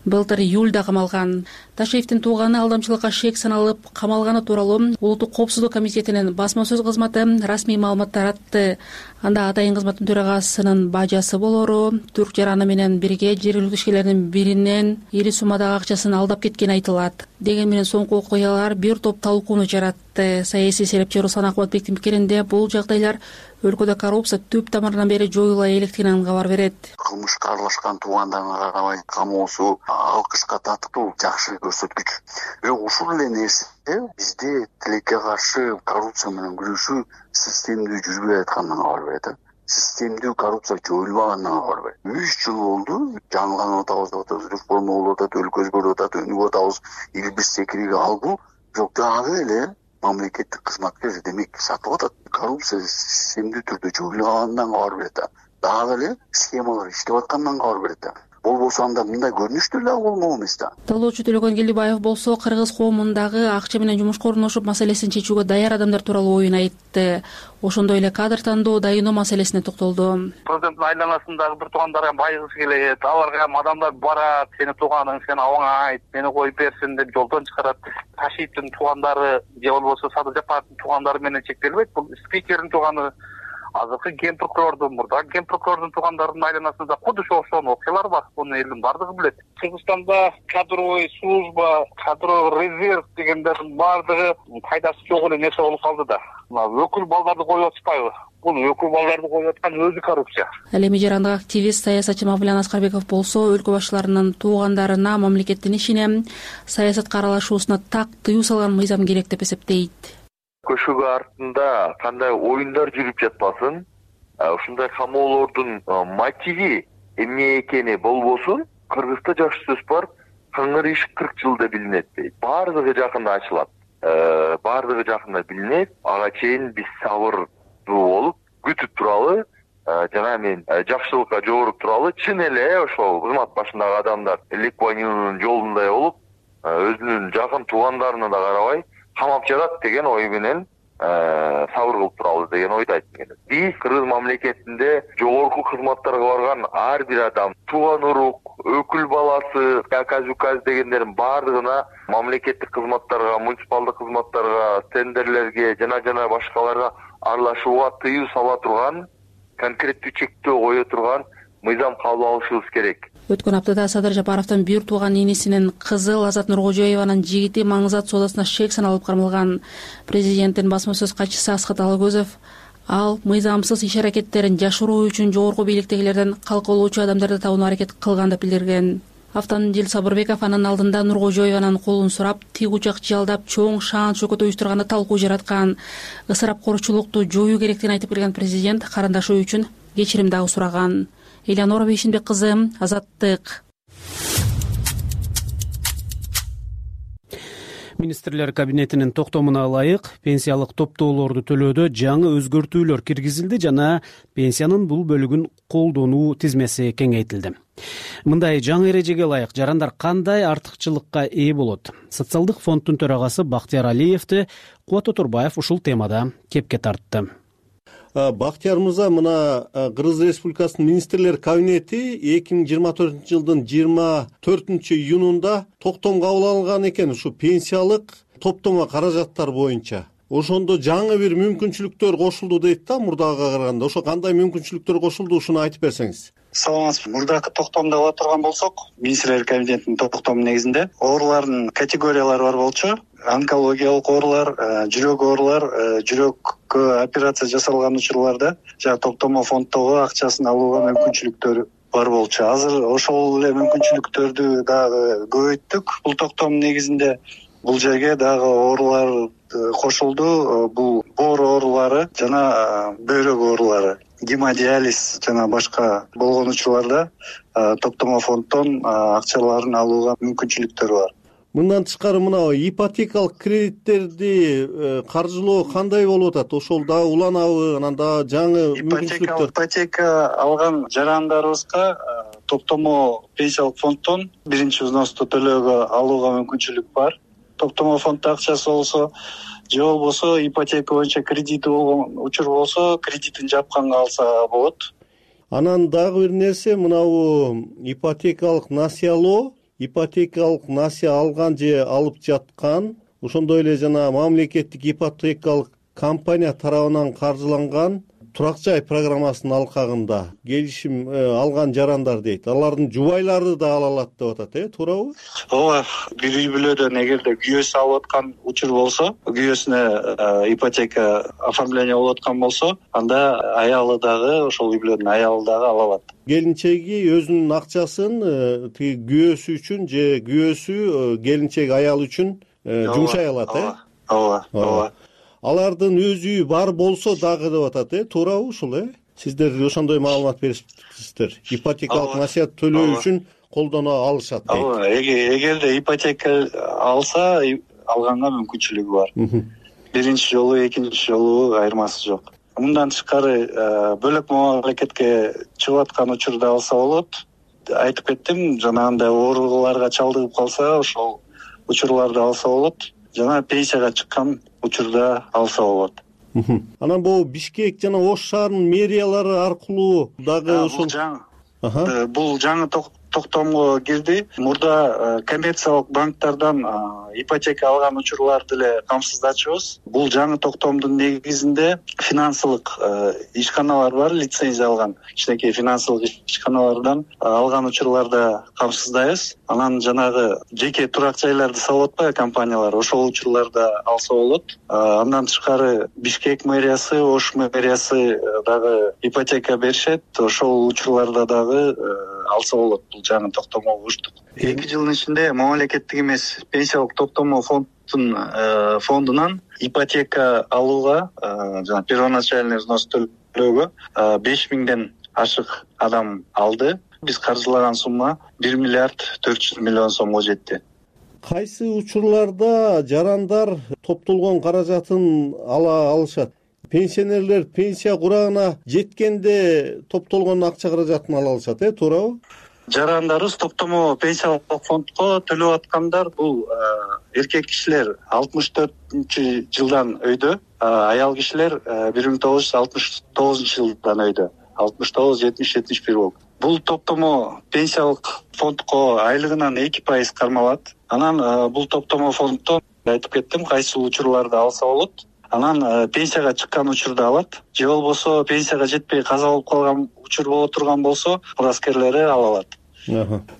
Speaker 3: былтыр июлда камалган. Ташиевдин тууганы алдамчылыкка шек саналып камалганы тууралуу Улуттук коопсуздук комитетинин басма сөз кызматы расмий маалымат таратты. Анда атайын кызматтын төрагасынын бажасы болору Түрк жараны менен бирге жергиликтүү ишкерлердин биринен ири суммадагы акчасын алдап кеткени айтылат. Дегени менен соңку окуялар бир топ талкууну жаратты. Саясий серепчи Руслан Акматбектин пикиринде бул жагдайлар өлкөдө коррупция түп тамырынан бери жоюла электигинен кабар берет.
Speaker 7: Кылмышка аралашкан туугандарга карабай камоосу алкышка татыктуу жакшы көрсөткүч. Бирок ушул эле нерсе бизде тилекке каршы коррупция менен күрөшүү системдүү жүрбөй аткандан кабар берет. Системдүү коррупция жоюлбагандан кабар берет. 3 жыл болду, жаңыланып атабыз, реформа болуп атат, өлкө өзгөрүп атат, өнүгүп атабыз, эл бир секириги алгу, бирок дагы эле мамлекеттик кызматкер демек сатып атат. Коррупция системдүү түрдө жоюлгандан кабар берет. Дагы эле схемалар иштеп аткандан кабар берет. Болбосо анда мындай көрүнүштүү эле болмок эмес да.
Speaker 3: Талоочу Төлөгөн Келдибаев болсо кыргыз коомундагы акча менен жумушка орношуп маселесин чечүүгө даяр адамдар тууралуу оюн айтты. Ошондой эле кадр тандоо, дайыноо маселесине токтолду.
Speaker 23: Президенттин айланасындагы бир туугандарга байгысы келет, аларга адамдар барат, сени тууганың, сен абаңа айт, мени коюп берсин деп жолдон чыгарат. Ташиевдин туугандары же болбосо Садыр Жапаровдун туугандары менен чектелбейт. Бул спикердин тууганы, азыркы ген прокурордун, мурдагы ген прокурордун туугандарынын айланасында куду ошол окуялар бар. Буну элдин бардыгы билет. Кыргызстанда кадровый служба, кадровый резерв дегендердин бардыгы пайдасы жок эле нерсе болуп калды да. Өкүл балдарды коюп атышпайбы? Бул өкүл балдарды коюп аткан өзү коррупция.
Speaker 3: Ал эми жарандык активист, саясатчы Мавлян Аскарбеков болсо өлкө башчыларынын туугандарына мамлекеттин ишине, саясатка аралашуусуна так тыюу салган мыйзам керек деп эсептейт.
Speaker 8: Көшөгө артында кандай оюндар жүрүп жатпасын, ушундай камоолордун мотиви эмне экени болбосун, Кыргызда жакшы сөз бар, кыңыр иш 40 жылда билинет дейт. Бардыгы жакында ачылат. Бардыгы жакында билинет. Ага чейин биз сабырдуу болуп күтүп туралы, жана мен жакшылыкка жооруп туралы, чын эле ошол кызмат башындагы адамдар Ли Куан Юнун жолундай болуп, өзүнүн жакын туугандарына да карабай камап жатат деген ой менен сабыр кылып туралы деген ойду айтып. Биз Кыргыз мамлекетинде жогорку кызматтарга барган ар бир адам, тууган урук, өкүл баласы, указ дегендердин бардыгына мамлекеттик кызматтарга, муниципалдык кызматтарга, тендерлерге жана башкаларга аралашууга тыюу сала турган, конкреттүү чектөө кое турган мыйзам кабыл алышыбыз керек.
Speaker 3: Өткөн аптада Садыр Жапаровдун бир тууган инисинин кызы Азат Нуркожоеванын жигити Маңызат соодасына шек саналып кармалган. Президенттин басма сөз катчысы Асхат Алагөзов ал мыйзамсыз иш аракеттерин жашыруу үчүн жогорку бийликтегилерден калкалоочу адамдарды табууну аракет кылган деп билдирген. Автандил Сабырбеков анын алдында Нуркожоеванын колун сурап, тигучак жалдап, чоң шаан чөкөт уюштурганда талкуу жараткан, ысырапкорчулукту жоюу керектигин айтып келген президент карындашы үчүн кечирим дагы сураган. Элеонора Бейшинбек кызы, Азаттык.
Speaker 2: Министрлер кабинетинин токтомуна ылайык пенсиялык топтоолорду төлөөдө жаңы өзгөртүүлөр киргизилди жана пенсиянын бул бөлүгүн колдонуу тизмеси кеңейтилди. Мындай жаңы эрежеге ылайык жарандар кандай артыкчылыкка ээ болот? Социалдык фонддун төрагасы Бактияр Алиевди Кубат Отурбаев ушул темада кепке тартты.
Speaker 9: Бактияр мырза, мына Кыргыз Республикасынын министрлер кабинети 2024 жылдын 24 июнунда токтом кабыл алган экен ушу пенсиялык топтомо каражаттар боюнча. Ошондо жаңы бир мүмкүнчүлүктөр кошулду дейт да мурдагыга караганда. Ошо кандай мүмкүнчүлүктөр кошулду, ушуну айтып берсеңиз.
Speaker 24: Саламатсызбы. Мурдакы токтомдо ала турган болсок, министрлер кабинетинин токтому негизинде оорулардын категориялары бар болчу. Онкологиялык оорулар, жүрөк оорулар, жүрөккө операция жасалган учурларда жана токтомо фонддогу акчасын алууга мүмкүнчүлүктөр бар болчу. Азыр ошол эле мүмкүнчүлүктөрдү дагы көбөйттүк. Бул токтом негизинде бул жерге дагы оорулар кошулду. Бул боор оорулары жана бөйрөк оорулары, гемодиализ жана башка болгон учурларда токтомо фонддон акчаларын алууга мүмкүнчүлүктөр бар.
Speaker 9: Мындан тышкары мына ипотекалык кредиттерди каржылоо кандай болуп атат? Ошол дагы уланабы, анан дагы жаңы мүмкүнчүлүктөр?
Speaker 24: Ипотека алган жарандарыбызга топтомо пенсиялык фонддон биринчи взносту төлөөгө алууга мүмкүнчүлүк бар. Топтомо фонддо акчасы болсо же болбосо ипотека боюнча кредити болгон учур болсо кредитин жапканга алса болот.
Speaker 9: Анан дагы бир нерсе, мынабу ипотекалык насыялоо, ипотекалык насыя алган же алып жаткан, ошондой эле жана мамлекеттик ипотекалык компания тарабынан каржыланган турак жай программасынын алкагында келишим алган жарандар дейт. Алардын жубайлары да ала алат деп атат, туурабы?
Speaker 24: Ооба, бир үй бүлөдөн эгерде күйөөсү алып аткан учур болсо, күйөөсүнө ипотека оформление болуп аткан болсо, анда аялы дагы, ошол үй бүлөнүн аялы дагы ала алат.
Speaker 9: Келинчеги өзүнүн акчасын тиги күйөөсү үчүн же күйөөсү келинчек аял үчүн жумшай алат,
Speaker 24: Ооба.
Speaker 9: Алардын өз үйү бар болсо дагы деп атат, туурабы ушул? Сиздер ошондой маалымат бериптсиздер. Ипотекалык насыят төлөө үчүн колдоно алышат.
Speaker 24: Ооба, эгерде ипотека алса, алганга мүмкүнчүлүгү бар. Биринчи жолу, экинчи жолу айырмасы жок. Мындан тышкары бөлөк мамлекетке чыгып аткан учурда алса болот. Айтып кеттим, жанагындай ооруларга чалдыгып калса, ошол учурларды алса болот. Жана пенсияга чыккан учурда алса болот.
Speaker 9: Анан бул Бишкек жана Ош шаарынын мэриялары аркылуу дагы ошол
Speaker 24: бул жаңы токтомго кирди. Мурда коммерциялык банктардан ипотека алган учурларды эле камсыздачубуз. Бул жаңы токтомдун негизинде финансылык ишканалар бар, лицензия алган кичинекей финансылык ишканалардан алган учурларда камсыздайбыз. Анан жанагы жеке турак жайларды салып атпайбы компаниялар, ошол учурларда алса болот. Андан тышкары Бишкек мэриясы, Ош мэриясы дагы ипотека беришет. Ошол учурларда дагы алса болот. Бул жаңы токтомого уштук. 2 жылдын ичинде мамлекеттик эмес пенсиялык топтомо фондунан ипотека алууга, жана первоначальный взнос төлөөгө 5000ден ашык адам алды. Биз каржылаган сумма 1 миллиард 400 миллион сомго жетти.
Speaker 9: Кайсы учурларда жарандар топтолгон каражатын ала алышат? Пенсионерлер пенсия курагына жеткенде топтолгон акча каражатын ала алышат, туурабы?
Speaker 24: Жарандарыбыз топтомо пенсиялык фондко төлөп аткандар бул эркек кишилер 64-жылдан өйдө, аял кишилер 1969-жылдан өйдө. 69, 70, 71 болуп. Бул топтомо пенсиялык фондко айлыгынан 2% кармалат. Анан бул топтомо фонддон айтып кеттим, кайсы учурларды алса болот. Анан пенсияга чыккан учурда алат. Же болбосо пенсияга жетпей каза болуп калган учур боло турган болсо, мураскерлери ала алат.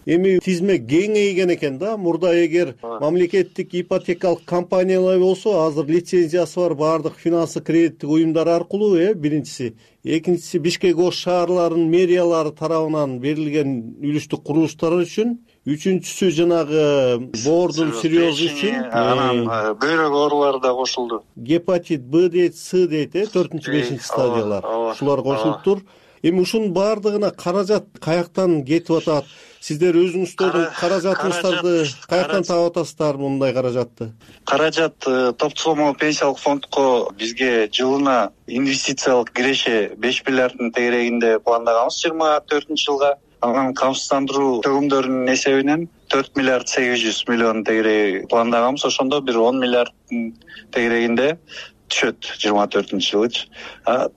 Speaker 9: Эми тизме кеңейген экен да. Мурда эгер мамлекеттик ипотекалык компаниялар болсо, азыр лицензиясы бар баардык финансы кредиттик уюмдар аркылуу, биринчиси. Экинчиси Бишкек Ош шаарларынын мэриялары тарабынан берилген үлүштүк курулуштар үчүн. Үчүнчүсү жанагы боордун сирёзу үчүн.
Speaker 24: Анан бөйрөк оорулары да кошулду.
Speaker 9: Гепатит Б дейт, С дейт, 4-5 стадиялар. Ушулар кошулуптур. Эми ушунун баардыгына каражат каяктан кетип атат? Сиздер өзүңүздөрдүн каражатыңыздарды каяктан таап атасыздар мындай каражатты?
Speaker 24: Каражат топтомо пенсиялык фондко бизге жылына инвестициялык киреше 5 миллиарддын тегерегинде пландаганбыз 24-жылга. Анан камсыздандыруу төгүмдөрүнүн эсебинен 4 миллиард 800 миллион тегереги пландаганбыз. Ошондо бир 10 миллиарддын тегерегинде түшөт 24-жылычы.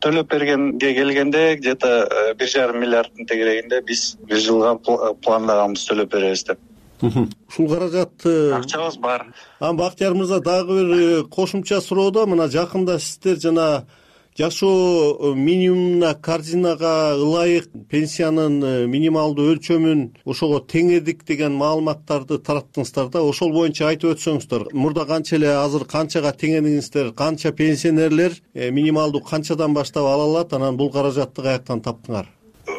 Speaker 24: Төлөп бергенге келгенде где-то 1,5 миллиарддын тегерегинде биз бир жылга пландаганбыз төлөп беребиз деп.
Speaker 9: Ушул каражатты
Speaker 24: акчабыз бар.
Speaker 9: Бактияр мырза, дагы бир кошумча суроода, мына жакында сиздер жана жашоо минимумуна корзинага ылайык пенсиянын минималдуу өлчөмүн ошого теңедик деген маалыматтарды тараттыңыздар да. Ошол боюнча айтып өтсөңүздөр. Мурда канча эле, азыр канчага теңедиңиздер? Канча пенсионерлер минималдуу канчадан баштап ала алат? Анан бул каражатты каяктан таптыңар?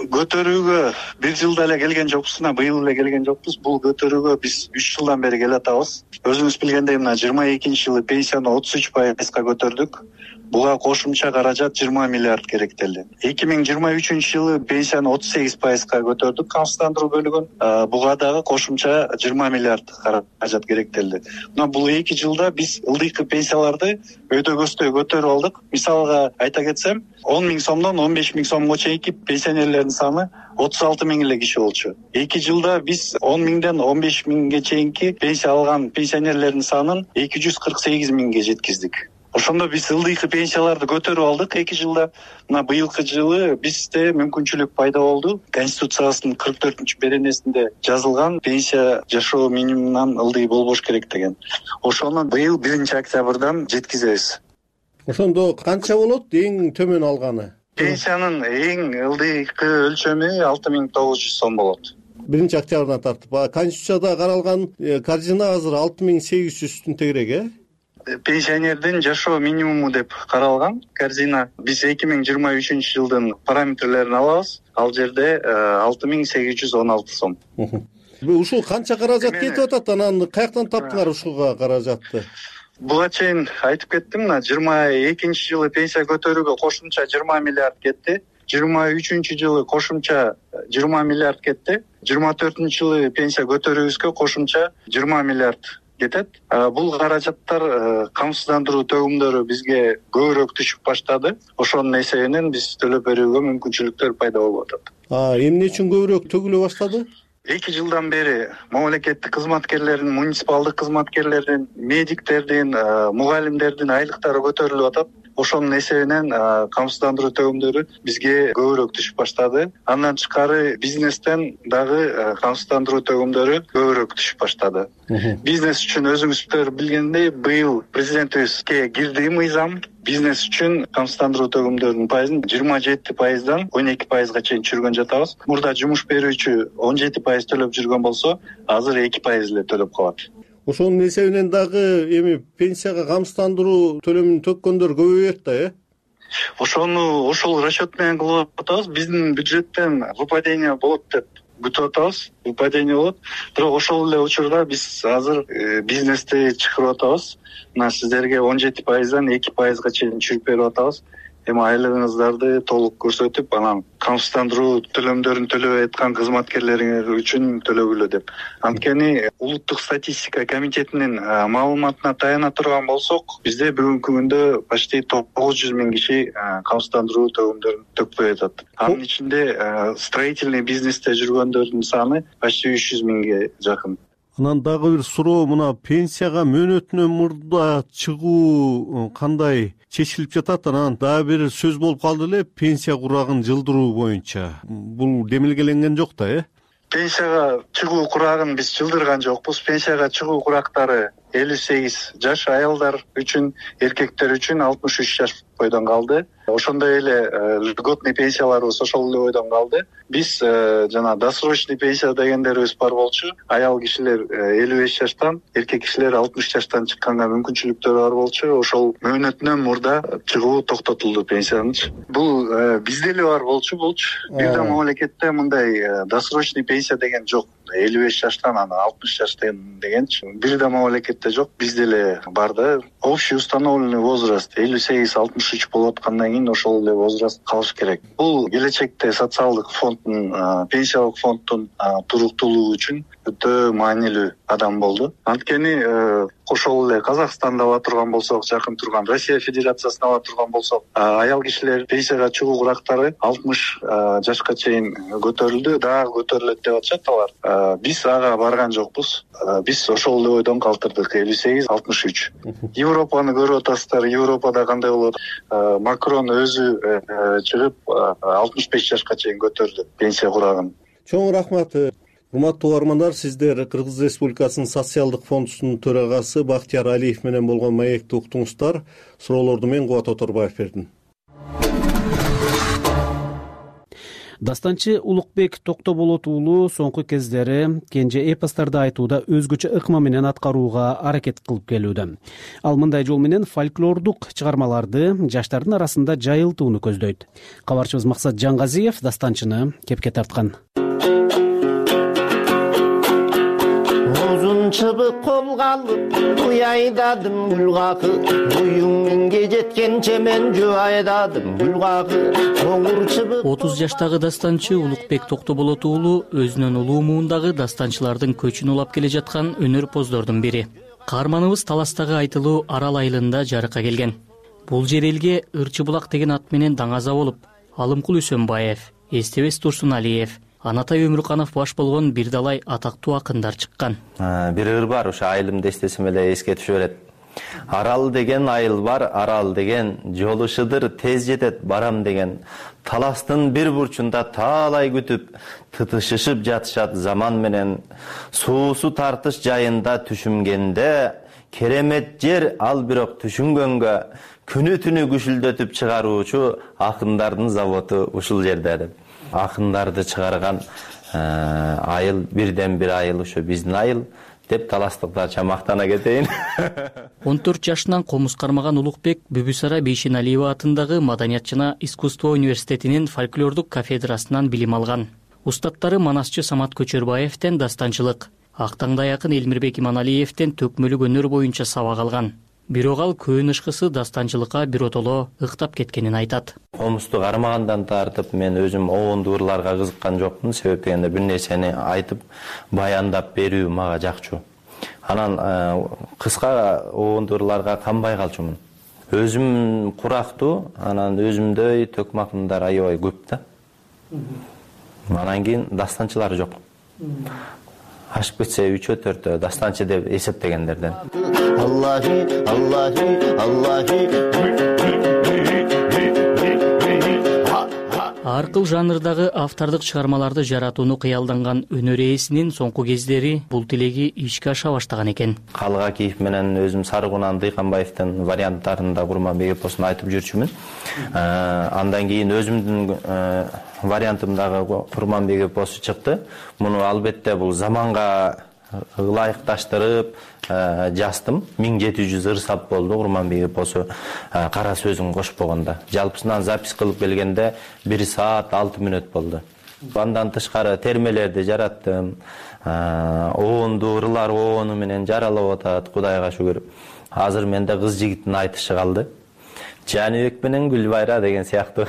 Speaker 24: Көтөрүүгө бир жылда эле келген жокпуз, быйыл эле келген жокпуз. Бул көтөрүүгө биз 3 жылдан бери келатабыз. Өзүңүз билгендей, мына 22-жылы пенсияны 33%га көтөрдүк. буга кошумча каражат 20 миллиард керектелди. 2023-жылы пенсияны 38%га көтөрдүк, камсыздандыруу бөлүгүн. Буга дагы кошумча 20 миллиард каражат керектелди. Мына бул 2 жылда биз ылдыйкы пенсияларды өйдөгөстөй көтөрүп алдык. Мисалга айта кетсем, 10 миң сомдон 15 миң сомго чейинки пенсионерлердин саны 36 миң эле киши болчу. 2 жылда биз 10 миңден 15 миңге чейинки пенсия алган пенсионерлердин санын 248 миңге жеткиздик. Ошондо биз ылдыйкы пенсияларды көтөрүп алдык 2 жылда. Мына быйылкы жылы бизде мүмкүнчүлүк пайда болду. Конституциябыздын 44-беренесинде жазылган пенсия жашоо минимумунан ылдый болбош керек деген. Ошону быйыл 1-октябрдан жеткизебиз.
Speaker 9: Ошондо канча болот эң төмөн алганы?
Speaker 24: Пенсиянын эң ылдыйкы өлчөмү 6900 сом болот.
Speaker 9: 1-октябрдан тартып, Конституцияда каралган каржына азыр 6800-тün тегерек,
Speaker 24: Пенсионердин жашоо минимуму деп каралган корзина. Биз 2023-жылдын параметрлерин алабыз. Ал жерде 6816 сом.
Speaker 9: Ушул канча каражат кетип атат? Анан каяктан таптыңар ушуга каражатты?
Speaker 24: Буга чейин айтып кеттим, 22-жылы пенсия көтөрүүгө кошумча 20 миллиард кетти. 23-жылы кошумча 20 миллиард кетти. 24-жылы пенсия көтөрүүбүзгө кошумча 20 миллиард кетет. Бул каражаттар камсыздандыруу төгүмдөрү бизге көбүрөөк түшүп баштады. Ошонун эсебинен биз төлөп берүүгө мүмкүнчүлүктөр пайда болуп атат.
Speaker 9: Эмне үчүн көбүрөөк төгүлө баштады?
Speaker 24: 2 жылдан бери мамлекеттик кызматкерлердин, муниципалдык кызматкерлердин, медиктердин, мугалимдердин айлыктары көтөрүлүп атат. Ошонун эсебинен камсыздандыруу төгүмдөрү бизге көбүрөөк түшүп баштады. Андан тышкары бизнестен дагы камсыздандыруу төгүмдөрү көбүрөөк түшүп баштады. Бизнес үчүн өзүңүздөр билгендей, быйыл президентибизге кирди мыйзам. Бизнес үчүн камсыздандыруу төгүмдөрүнүн пайызын 27%дан 12%га чейин түшүргөн жатабыз. Мурда жумуш берүүчү 17% төлөп жүргөн болсо, азыр 2% эле төлөп калат.
Speaker 9: Ошонун эсебинен дагы эми пенсияга камсыздандыруу төлөмүн төккөндөр көбөйөт да,
Speaker 24: Ошол расчет менен кылып атабыз. Биздин бюджеттен выпадение болот деп күтүп атабыз. Выпадение болот. Бирок ошол эле учурда биз азыр бизнести чыгарып атабыз. Мына сиздерге 17%дан 2%га чейин түшүрүп берип атабыз. Эми айлыгыңыздарды толук көрсөтүп, анан камсыздандыруу төлөмдөрүн төлөбөй аткан кызматкерлериңер үчүн төлөгүлө деп. Анткени улуттук статистика комитетинин маалыматына таяна турган болсок, бизде бүгүнкү күндө почти 900 миң киши камсыздандыруу төлөмдөрүн төкпөй атат. Анын ичинде строительный бизнесте жүргөндөрдүн саны почти 300 миңге жакын.
Speaker 9: Анан дагы бир суроо, мына пенсияга мөөнөтүнөн мурда чыгуу кандай чечилип жатат? Анан дагы бир сөз болуп калды эле, пенсия курагын жылдыруу боюнча. Бул демилгеленген жок да,
Speaker 24: Пенсияга чыгуу курагын биз жылдырган жокпуз. Пенсияга чыгуу курактары 58 жаш аялдар үчүн, эркектер үчүн 63 жаш бойдон калды. Ошондой эле льготный пенсияларыбыз ошол эле бойдон калды. Биз жана досрочный пенсия дегендерибиз бар болчу. Аял кишилер 55 жаштан, эркек кишилер 60 жаштан чыкканга мүмкүнчүлүктөр бар болчу. Ошол мөөнөтүнөн мурда чыгуу токтотулду пенсиянын. Бул бизде эле бар болчу. Бир да мамлекетте мындай досрочный пенсия деген жок. 55 жаштан ана 60 жаштан дегенчи бир да мамлекетте жок. Бизде эле бар да. Общий установленный возраст 58-63 болуп аткандан кийин ошол эле возраст калыш керек. Бул келечекте социалдык фонддун, пенсиялык фонддун туруктуулугу үчүн өтө маанилүү кадам болду. Анткени ошол эле Казакстанда ала турган болсок, жакын турган Россия Федерациясына ала турган болсок, аял кишилер пенсияга чыгуу курактары 60 жашка чейин көтөрүлдү, дагы көтөрүлөт деп атышат алар. Биз ага барган жокпуз. Биз ошол эле бойдон калтырдык, 58-63. Европаны көрүп атасыздар. Европада кандай болот? Макрон өзү чыгып 65 жашка чейин көтөрдү пенсия курагын.
Speaker 9: Чоң рахмат. Урматтуу угармандар, сиздер Кыргыз Республикасынын социалдык фондунун төрагасы Бактияр Алиев менен болгон маекти уктуңуздар. Суроолорду мен Кубат Оторбаев бердим. Дастанчы Улукбек Токтоболот уулу соңку кездери кенже эпостарды айтууда өзгөчө ыкма менен аткарууга аракет кылып келүүдө. Ал мындай жол менен фольклордук чыгармаларды жаштардын арасында жайылтууну көздөйт. Кабарчыбыз Максат Жангазиев дастанчыны кепке тарткан.
Speaker 10: чыбык колго алып уй айдадым гүл какы, буюң миңге жеткенче мен жөө айдадым гүл какы.
Speaker 11: 30 жаштагы дастанчы Улукбек Токтоболот уулу өзүнөн улуу муундагы дастанчылардын көчүн улап келе жаткан өнөрпоздордун бири. Каарманыбыз Таластагы айтылуу Арал айылында жарыкка келген. Бул жер элге Ырчы булак деген ат менен даңаза болуп, Алымкул Үсөнбаев, Эстебес Турсуналиев, Анатай Өмүрканов баш болгон бир далай атактуу акындар чыккан.
Speaker 12: Бир ыр бар, ошо айылымды эстесем эле эске түшө берет. Арал деген айыл бар, арал деген жолушудыр, тез жетет барам деген. Таластын бир бурчунда таалай күтүп, тытышышып жатышат заман менен. Суусу тартыш жайында түшүнгенде, керемет жер ал бирок түшүнгөнгө, күнү түнү күшүлдөтүп чыгаруучу акындардын заводу ушул жерде деп. Акындарды чыгарган айыл бирден бир айыл ошо биздин айыл деп таластыктарча мактана кетейин.
Speaker 11: 14 жашынан комуз кармаган Улукбек Бүбүсара Бейшеналиева атындагы Маданият жана искусство университетинин фольклордук кафедрасынан билим алган. Устаттары Манасчы Самат Көчөрбаевден дастанчылык, Актаңдай акын Элмирбек Иманалиевден төкмөлүк өнөр боюнча сабак алган. Бирок ал көөн ышкысы дастанчылыкка биротоло ыктап кеткенин айтат.
Speaker 12: Комузду кармагандан тартып мен өзүм оонду ырларга кызыккан жокмун. Себеп дегенде бир нерсени айтып, баяндап берүү мага жакчу. Анан кыска оонду ырларга канбай калчумун. Өзүм курактуу, анан өзүмдөй төкмакымдар аябай көп да. Анан кийин дастанчылар жок. Ашып кетсе 3-4 дастанчы деп эсептегендерден.
Speaker 10: Аллахи, Аллахи, Аллахи.
Speaker 11: Ар кыл жанрдагы автордук чыгармаларды жаратууну кыялданган өнөр ээсинин соңку кездери бул тилеги ишке аша баштаган экен.
Speaker 12: Калгакиев менен өзүм Сарыгунан Дыйканбаевдин варианттарында Курманбек эпосун айтып жүрчүмүн. Андан кийин өзүмдүн вариантымдагы Курманбек эпосу чыкты. Муну албетте бул заманга ылайыкташтырып жаздым. 1700 ыр сап болду Курманбек эпосу кара сөзүн кошпогондо. Жалпысынан запись кылып келгенде 1 саат 6 мүнөт болду. Андан тышкары термелерди жараттым. Оонду ырлар оону менен жаралып атат, Кудайга шүгүр. Азыр менде кыз жигиттин айтышы калды. Жаныбек менен Гүлбайра деген сыяктуу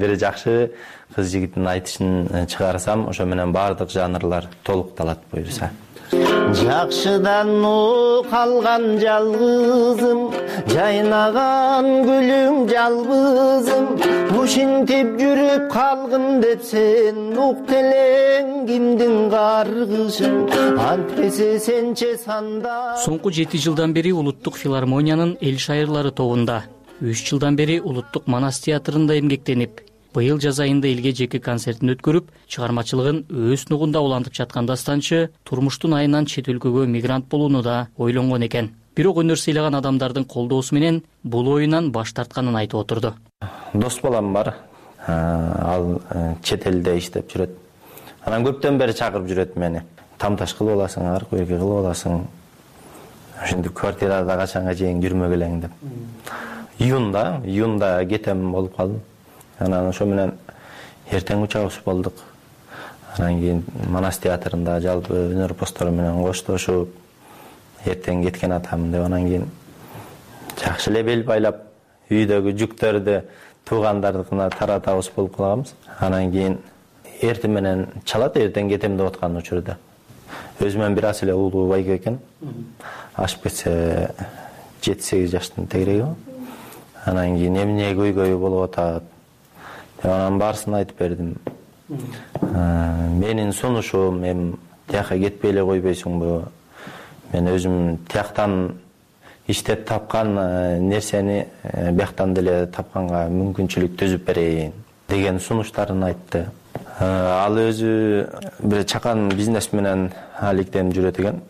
Speaker 12: бир жакшы кыз жигиттин айтышын чыгарсам, ошо менен бардык жанрлар толукталат буюрса.
Speaker 10: Жакшыдан калган жалгызым, жайнаган гүлүң жалбызым, ушинтип жүрүп калгын деп сен ук телең кимдин каргышын, антпесе сенче санда.
Speaker 11: Соңку 7 жылдан бери Улуттук филармониянын эл шайырлары тобунда, 3 жылдан бери Улуттук Манас театрында эмгектенип, быйыл жаз айында элге жеке концертин өткөрүп, чыгармачылыгын өз нугунда улантып жаткан дастанчы турмуштун айынан чет өлкөгө мигрант болууну да ойлонгон экен. Бирок өнөр сыйлаган адамдардын колдоосу менен бул оюнан баш тартканын айтып отурду.
Speaker 12: Дос балам бар. Ал чет элде иштеп жүрөт. Анан көптөн бери чакырып жүрөт мени. Тамташ кылып аласың, ар көйгөй кылып аласың. Ошентип квартирада качанга чейин жүрмөгөлең деп. Июнда кетем болуп калдым. Анан ошо менен эртең учабыз болдук. Анан кийин Манас театрында жалпы өнөр постору менен коштошуп эртең кеткен атам деп, анан кийин жакшы эле бел байлап үйдөгү жүктөрдү туугандардыкына таратабыз болуп калганбыз. Анан кийин эртең менен чалат, эртең кетем деп аткан учурда. Өзүмөн бир аз эле улуу байке экен. Ашып кетсе 7-8 жаштын тегереги. Анан кийин эмне көйгөй болуп атат. Анан баарысын айтып бердим. Менин сунушум, эми тияка кетпей эле койбойсуңбу? Мен өзүм тияктан иштеп тапкан нерсени бияктан деле тапканга мүмкүнчүлүк түзүп берейин деген сунуштарын айтты. Ал өзү бир чакан бизнес менен алектенип жүрөт экен.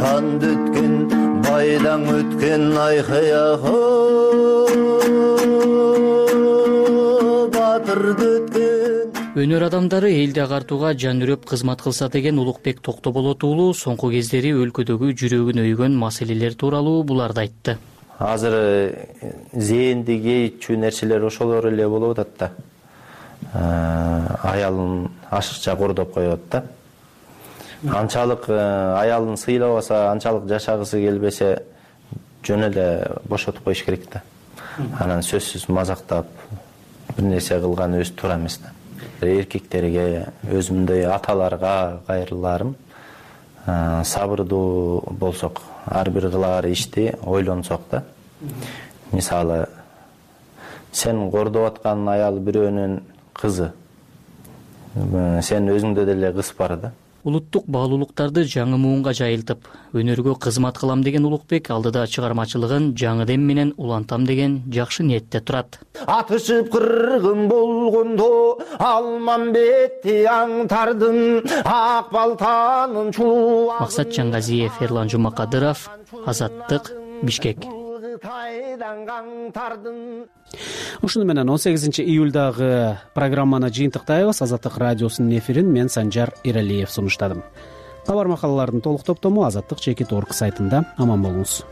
Speaker 10: Канды өткөн, байдан өткөн айкаяга
Speaker 11: Өнөр адамдары элди агартууга жан үрөп кызмат кылса деген Улукбек Токтоболот уулу соңку кездери өлкөдөгү жүрөгүн өйгөн маселелер тууралуу буларды айтты.
Speaker 12: Азыр зээнди кейчүү нерселер ошолор эле болуп атат да. Аялын ашыкча кордоп коёт да. анчалык аялын сыйлабаса, анчалык жашагысы келбесе жөн эле бошотуп коюш керек да. Анан сөзсүз мазактап бир нерсе кылган өзү туура эмес да. Эркектерге, өзүмдөй аталарга кайрыларым, сабырдуу болсок, ар бир кылаар ишти ойлонсок да. Мисалы, сен кордоп аткан аял бирөөнүн кызы, сен өзүңдө деле кыз бар да.
Speaker 11: Улуттук баалуулуктарды жаңы муунга жайылтып, өнөргө кызмат кылам деген Улукбек алдыда чыгармачылыгын жаңы дем менен улантам деген жакшы ниетте турат.
Speaker 10: Атышып кыргын болгондо Алмамбетти аңтардым, ак балтанын чулуу.
Speaker 11: Максат Чаңгазиев, Эрлан Жумакадыров, Азаттык, Бишкек.
Speaker 2: Ушуну менен 18-июлдагы программаны жыйынтыктайбыз. Азаттык радиосунун эфирин мен Санжар Иралиев сунуштадым. Кабар макалалардын толук топтому Азаттык.org сайтында. Аман болуңуз.